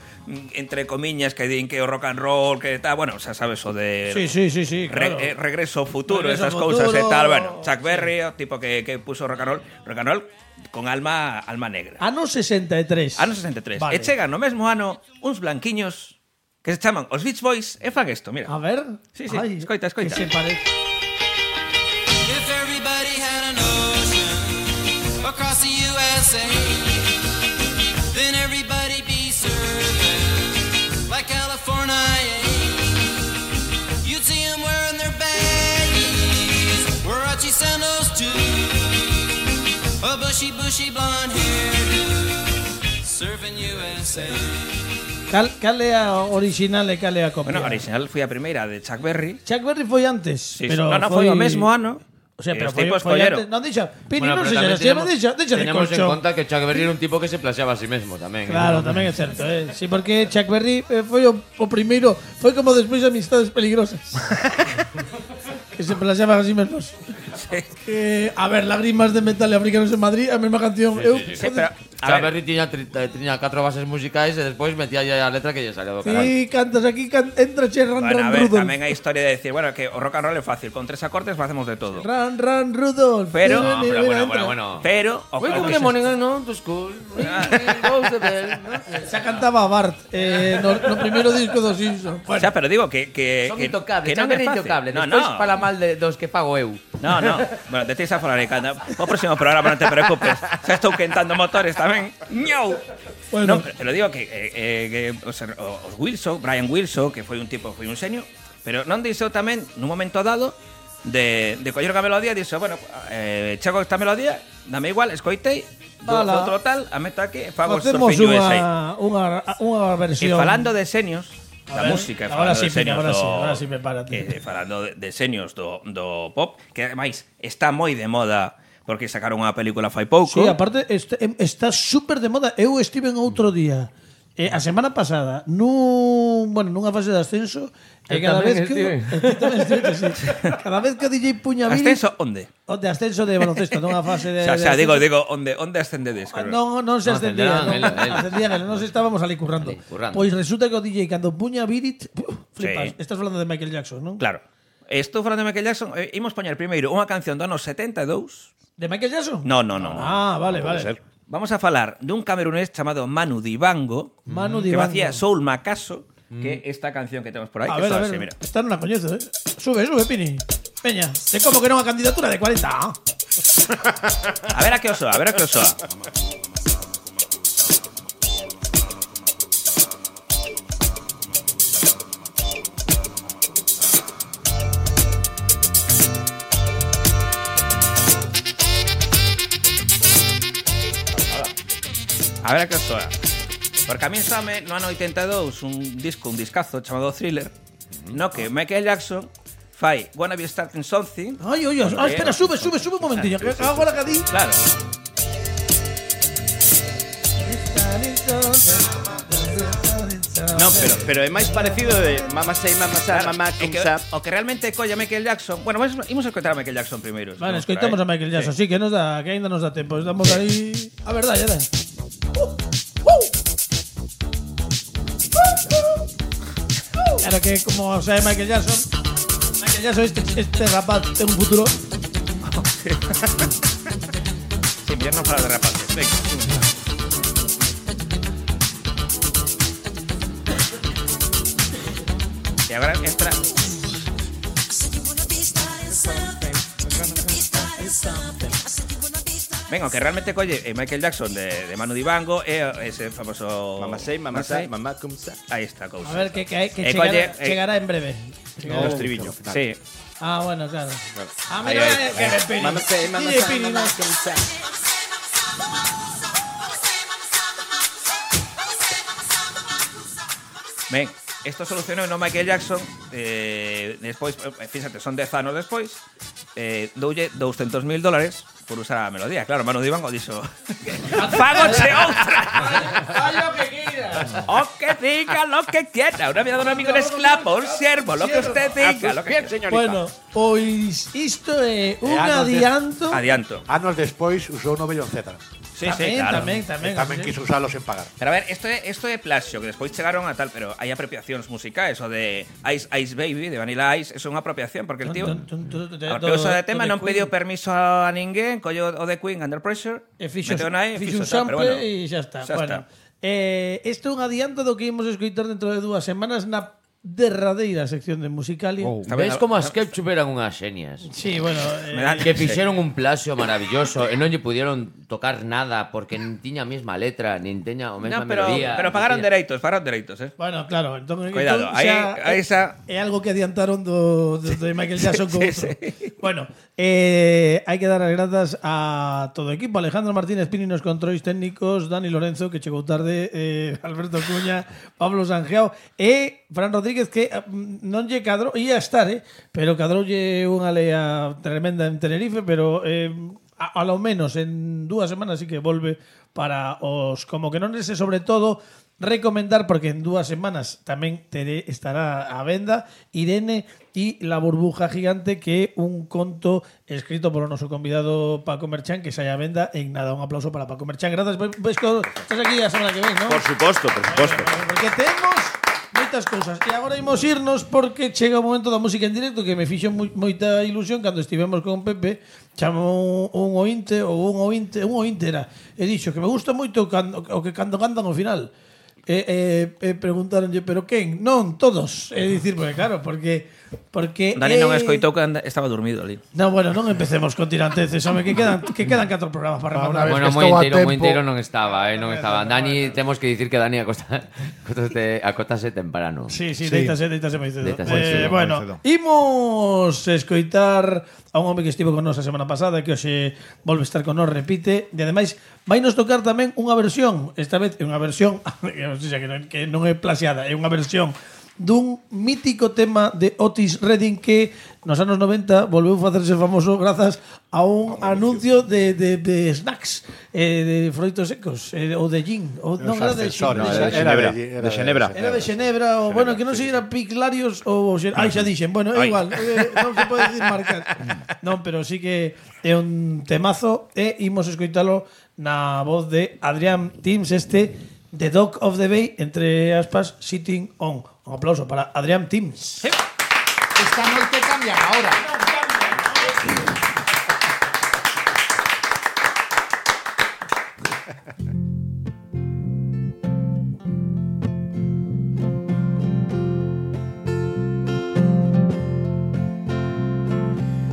entre comiñas que din que o rock and roll que tal, bueno, xa sabes o de sí, claro. Regreso futuro, esas cousas e tal, bueno, Chuck Berry, o tipo que puso rock and roll con alma negra. Ano 63. Vale. E chegan no mesmo ano uns blanquiños que se chaman os Beach Boys e fan isto, mira. A ver. Sí, escoita. Que se parece. If everybody had an ocean across the USA, then everybody be surfing like California. You'd see them wearing their baggies, Warachi sandals too, a bushy blonde hairdo, surfing USA. Cal é a original e cal é a copia? Bueno, a original foi a primeira de Chuck Berry. Chuck Berry foi antes, sí, pero non foi o mesmo ano. O sea, pero foi antes. Non deixa, Pini, non sei, deixa de tenemos en colchón. conta que Chuck Berry era un tipo que se plaxeaba a sí mesmo tamén. Claro, tamén é certo, Sí, porque Chuck Berry foi o primeiro, foi como despois de Amistades Peligrosas. Que se plaxeaban a sí mesmos. A ver, Lágrimas de Metal e Africanos en Madrid, a mesma canción. Sí, pero Chuck Berry tiña 4 bases musicais e despois metía a letra que lle salía do caralho. Sí, cantas aquí, entra che Ran Rudolph. Tamén hai historia de decir, bueno, que o rock and roll é fácil, con 3 acordes facemos de todo. Ran Rudolph. Pero, bueno. Pero, we could get morning on to school. Xa cantaba Bart no primeiro disco dos Simpsons. O sea, pero digo que son intocables, non é fácil. Despois fala mal dos que pago eu. No. Bueno, te tens a falar aí, canta. O próximo programa non te preocupes. Xa estou quentando motores tamén. ¡Ñau! Bueno. No, pero digo que os Wilson, Brian Wilson, que foi un xenio, pero non dixo tamén, nun momento dado, de coller a melodía, dixo, bueno, chego esta melodía, dame igual, escoitei, outro tal, a meto aquí, fago Surfing USA. Unha versión. E falando de xenios, da música, ahora sí me para. Falando de xenios do pop, que ademais está moi de moda porque sacaron unha película fai pouco. Sí, aparte está súper de moda. Eu estive en outro día, a semana pasada, nunha fase de ascenso, e cada vez que cada vez que o DJ puña Billy... Ascenso onde? De ascenso de baloncesto, nunha fase de... O sea, digo, onde ascendedes? Non se ascendía, non estábamos ali currando. Pois resulta que o DJ cando puña Billy, flipas. Estás falando de Michael Jackson, non? Claro. Estou falando de Michael Jackson, imos poñer primeiro unha canción do ano 72. De Michael Jackson? No. Ah, vale. Vamos a falar dun camerunés chamado Manu Dibango, que facía Soul Macaso, que esta canción que temos por aí, a que ver, está a ver, así, mira. esta non a coñezo, Sube, Pini. Peña, te como que non a candidatura de 40. A ver a que os soa, a ver a que os soa. A ver a que os soa. Porque a mí same no ano 82 un discazo chamado Thriller, no que Michael Jackson fai Wanna Be Starting Something. Ay, espera, sube un momentillo, que agora que di. Claro. No, pero é máis parecido de Mama Say, Mama Say, Claro, Mama é que, Comes Up. o que realmente colla Michael Jackson. Bueno, imos a escoitar a Michael Jackson primeiro. Vale, escoitamos a Michael Jackson, sí, que nos dá, que ainda nos dá tempo. Estamos aí. A verdade, ya dá. Claro que como sabe Michael Jackson, este rapaz ten un futuro. Sí, mellor non falar de rapaces. Venga. E agora entra. Venga, que realmente colle Michael Jackson de Manu Dibango ese famoso Mama Say, Mama Say, Mama Comes Up. Ahí está, cousa. A ver, que colle, chegará en breve. No, estribillo. Sí. Ah, bueno, claro. Ah, Ahí, mira, ahí. que me pini. Mama Say, Mama DJ Say, Pini, Mama no. Comes Up. Ben, isto solucionou no Michael Jackson despois, fíxate, son 10 anos despois doulle $200,000 por usar a melodía. Claro, Manu Dibango dixo ¡Fágoche outra! Fai lo que quieras. O que diga lo que quiera. Una vida de un amigo en esclavo, un siervo, lo que usted diga. Lo que señorita. Bueno, pois isto é un adianto. Adianto. Anos despois usou no Beyoncé. Sí, sí, claro. Tamén. Tamén quiso usalo sen pagar. Pero a ver, esto é plagio, que despois chegaron a tal, pero hai apropiacións musicais, o de Ice Ice Baby, de Vanilla Ice, eso é unha apropiación, porque el tío, porque o uso de tema non pediu permiso a ninguén, colleu o de Queen Under Pressure, E fixo meteu na un tal, pero sample bueno, e xa está. xa Bueno, está. isto é un adianto do que imos escoitar dentro de 2 semanas na derradeira sección de Musicalia. Ves como as Ketchup eran unhas xenias? Sí, bueno, Que fixeron un plasio maravilloso e non lle pudieron tocar nada porque nin tiña a mesma letra, nin teña a mesma melodía. Pero pagaron dereitos, Bueno, claro, entón, cuidado, aí esa é algo que adiantaron de Michael Jackson con outro. Bueno, hai que dar as grazas a todo o equipo. Alejandro Martínez Pini nos controis técnicos, Dani Lorenzo, que chegou tarde, Alberto Cuña, Pablo Sanjeao e Fran Rodríguez, que non lle cadrou, ia estar, pero cadroulle unha lea tremenda en Tenerife, pero a lo menos en 2 semanas sí que volve para os como que non ese, sobre todo recomendar, porque en 2 semanas tamén estará a venda Irene y la burbuja gigante, que é un conto escrito por o noso convidado Paco Merchán, que sai a venda en nada. Un aplauso para Paco Merchán. Grazas, ves que estás aquí a semana que ven, ¿no? Por suposto. Porque temos moitas cousas. E agora imos irnos porque chega o momento da música en directo, que me fixo moita ilusión cando estivemos con Pepe. Chamou un ointe era, e dixo que me gusta moito o que cando cantan ao final. Preguntaronlle, pero quen? Non, todos. É dicir, porque claro, porque Dani non escoitou que estaba dormido ali. No, bueno, non empecemos con tiranteces, home, que quedan 4 programas para rematar. Bueno, moi inteiro non estaba, non estaba. Dani, temos que dicir que Dani acóstase temprano. Sí, deítase moi cedo. Bueno, cedo. imos escoitar a un home que estivo con nos a semana pasada, que hoxe volve a estar con nos, repite, e ademais vai nos tocar tamén unha versión, esta vez é unha versión que non é plaxiada, é unha versión dun mítico tema de Otis Redding que nos anos 90 volveu a facerse famoso grazas a un anuncio de snacks, de froitos secos, ou de gin, ou non era de Xenebra. Era de Xenebra, ou bueno, que non sei, era Piclarios ou xa dixen, bueno, é igual, non se pode decir marcar. Non, pero sí que é un temazo e imos escoitalo na voz de Adrián Tims, The Dog of the Bay, entre aspas, Sitting On. Un aplauso para Adrián Tims. Sí. Esta noche cambian ahora.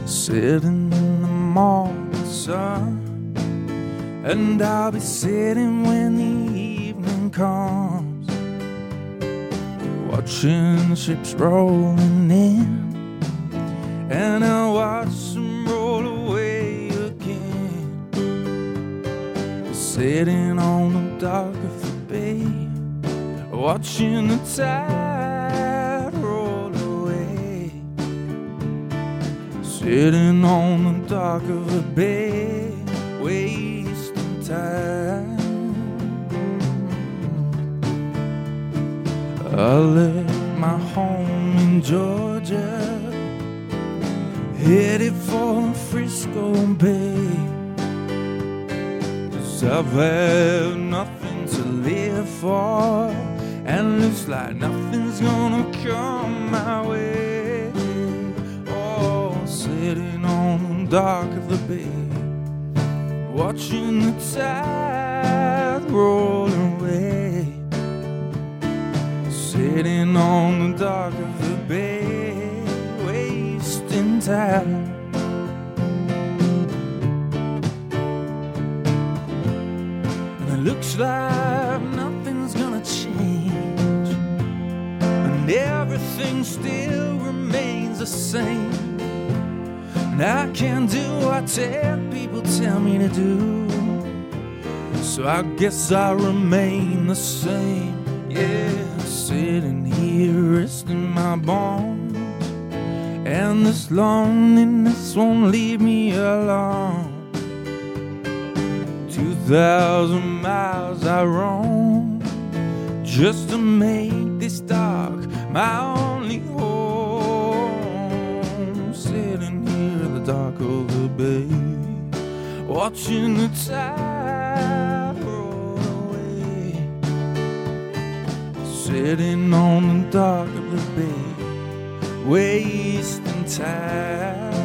Sitting in the morning sun, and I'll be sitting when the evening comes, watching ships rolling in, and I'll watch them roll away again. Sitting on the dock of the bay, watching the tide roll away. Sitting on the dock of the bay, wasting time. I left my home in Georgia, headed for Frisco Bay, 'cause I've had nothing to live for, and looks like nothing's gonna come my way. Oh, sitting on the dock of the bay, watching the tide roll away. Sitting on the dock of the bay, wasting time. And it looks like nothing's gonna change, and everything still remains the same. And I can't do what people tell me to do, so I guess I remain the same. Yeah, sitting here resting my bones, and this loneliness won't leave me alone. 2,000 miles I roam just to make this dock my only home. Sitting here at the dock of the bay, watching the tide roll away. Sitting on the dock of the bay, wasting time.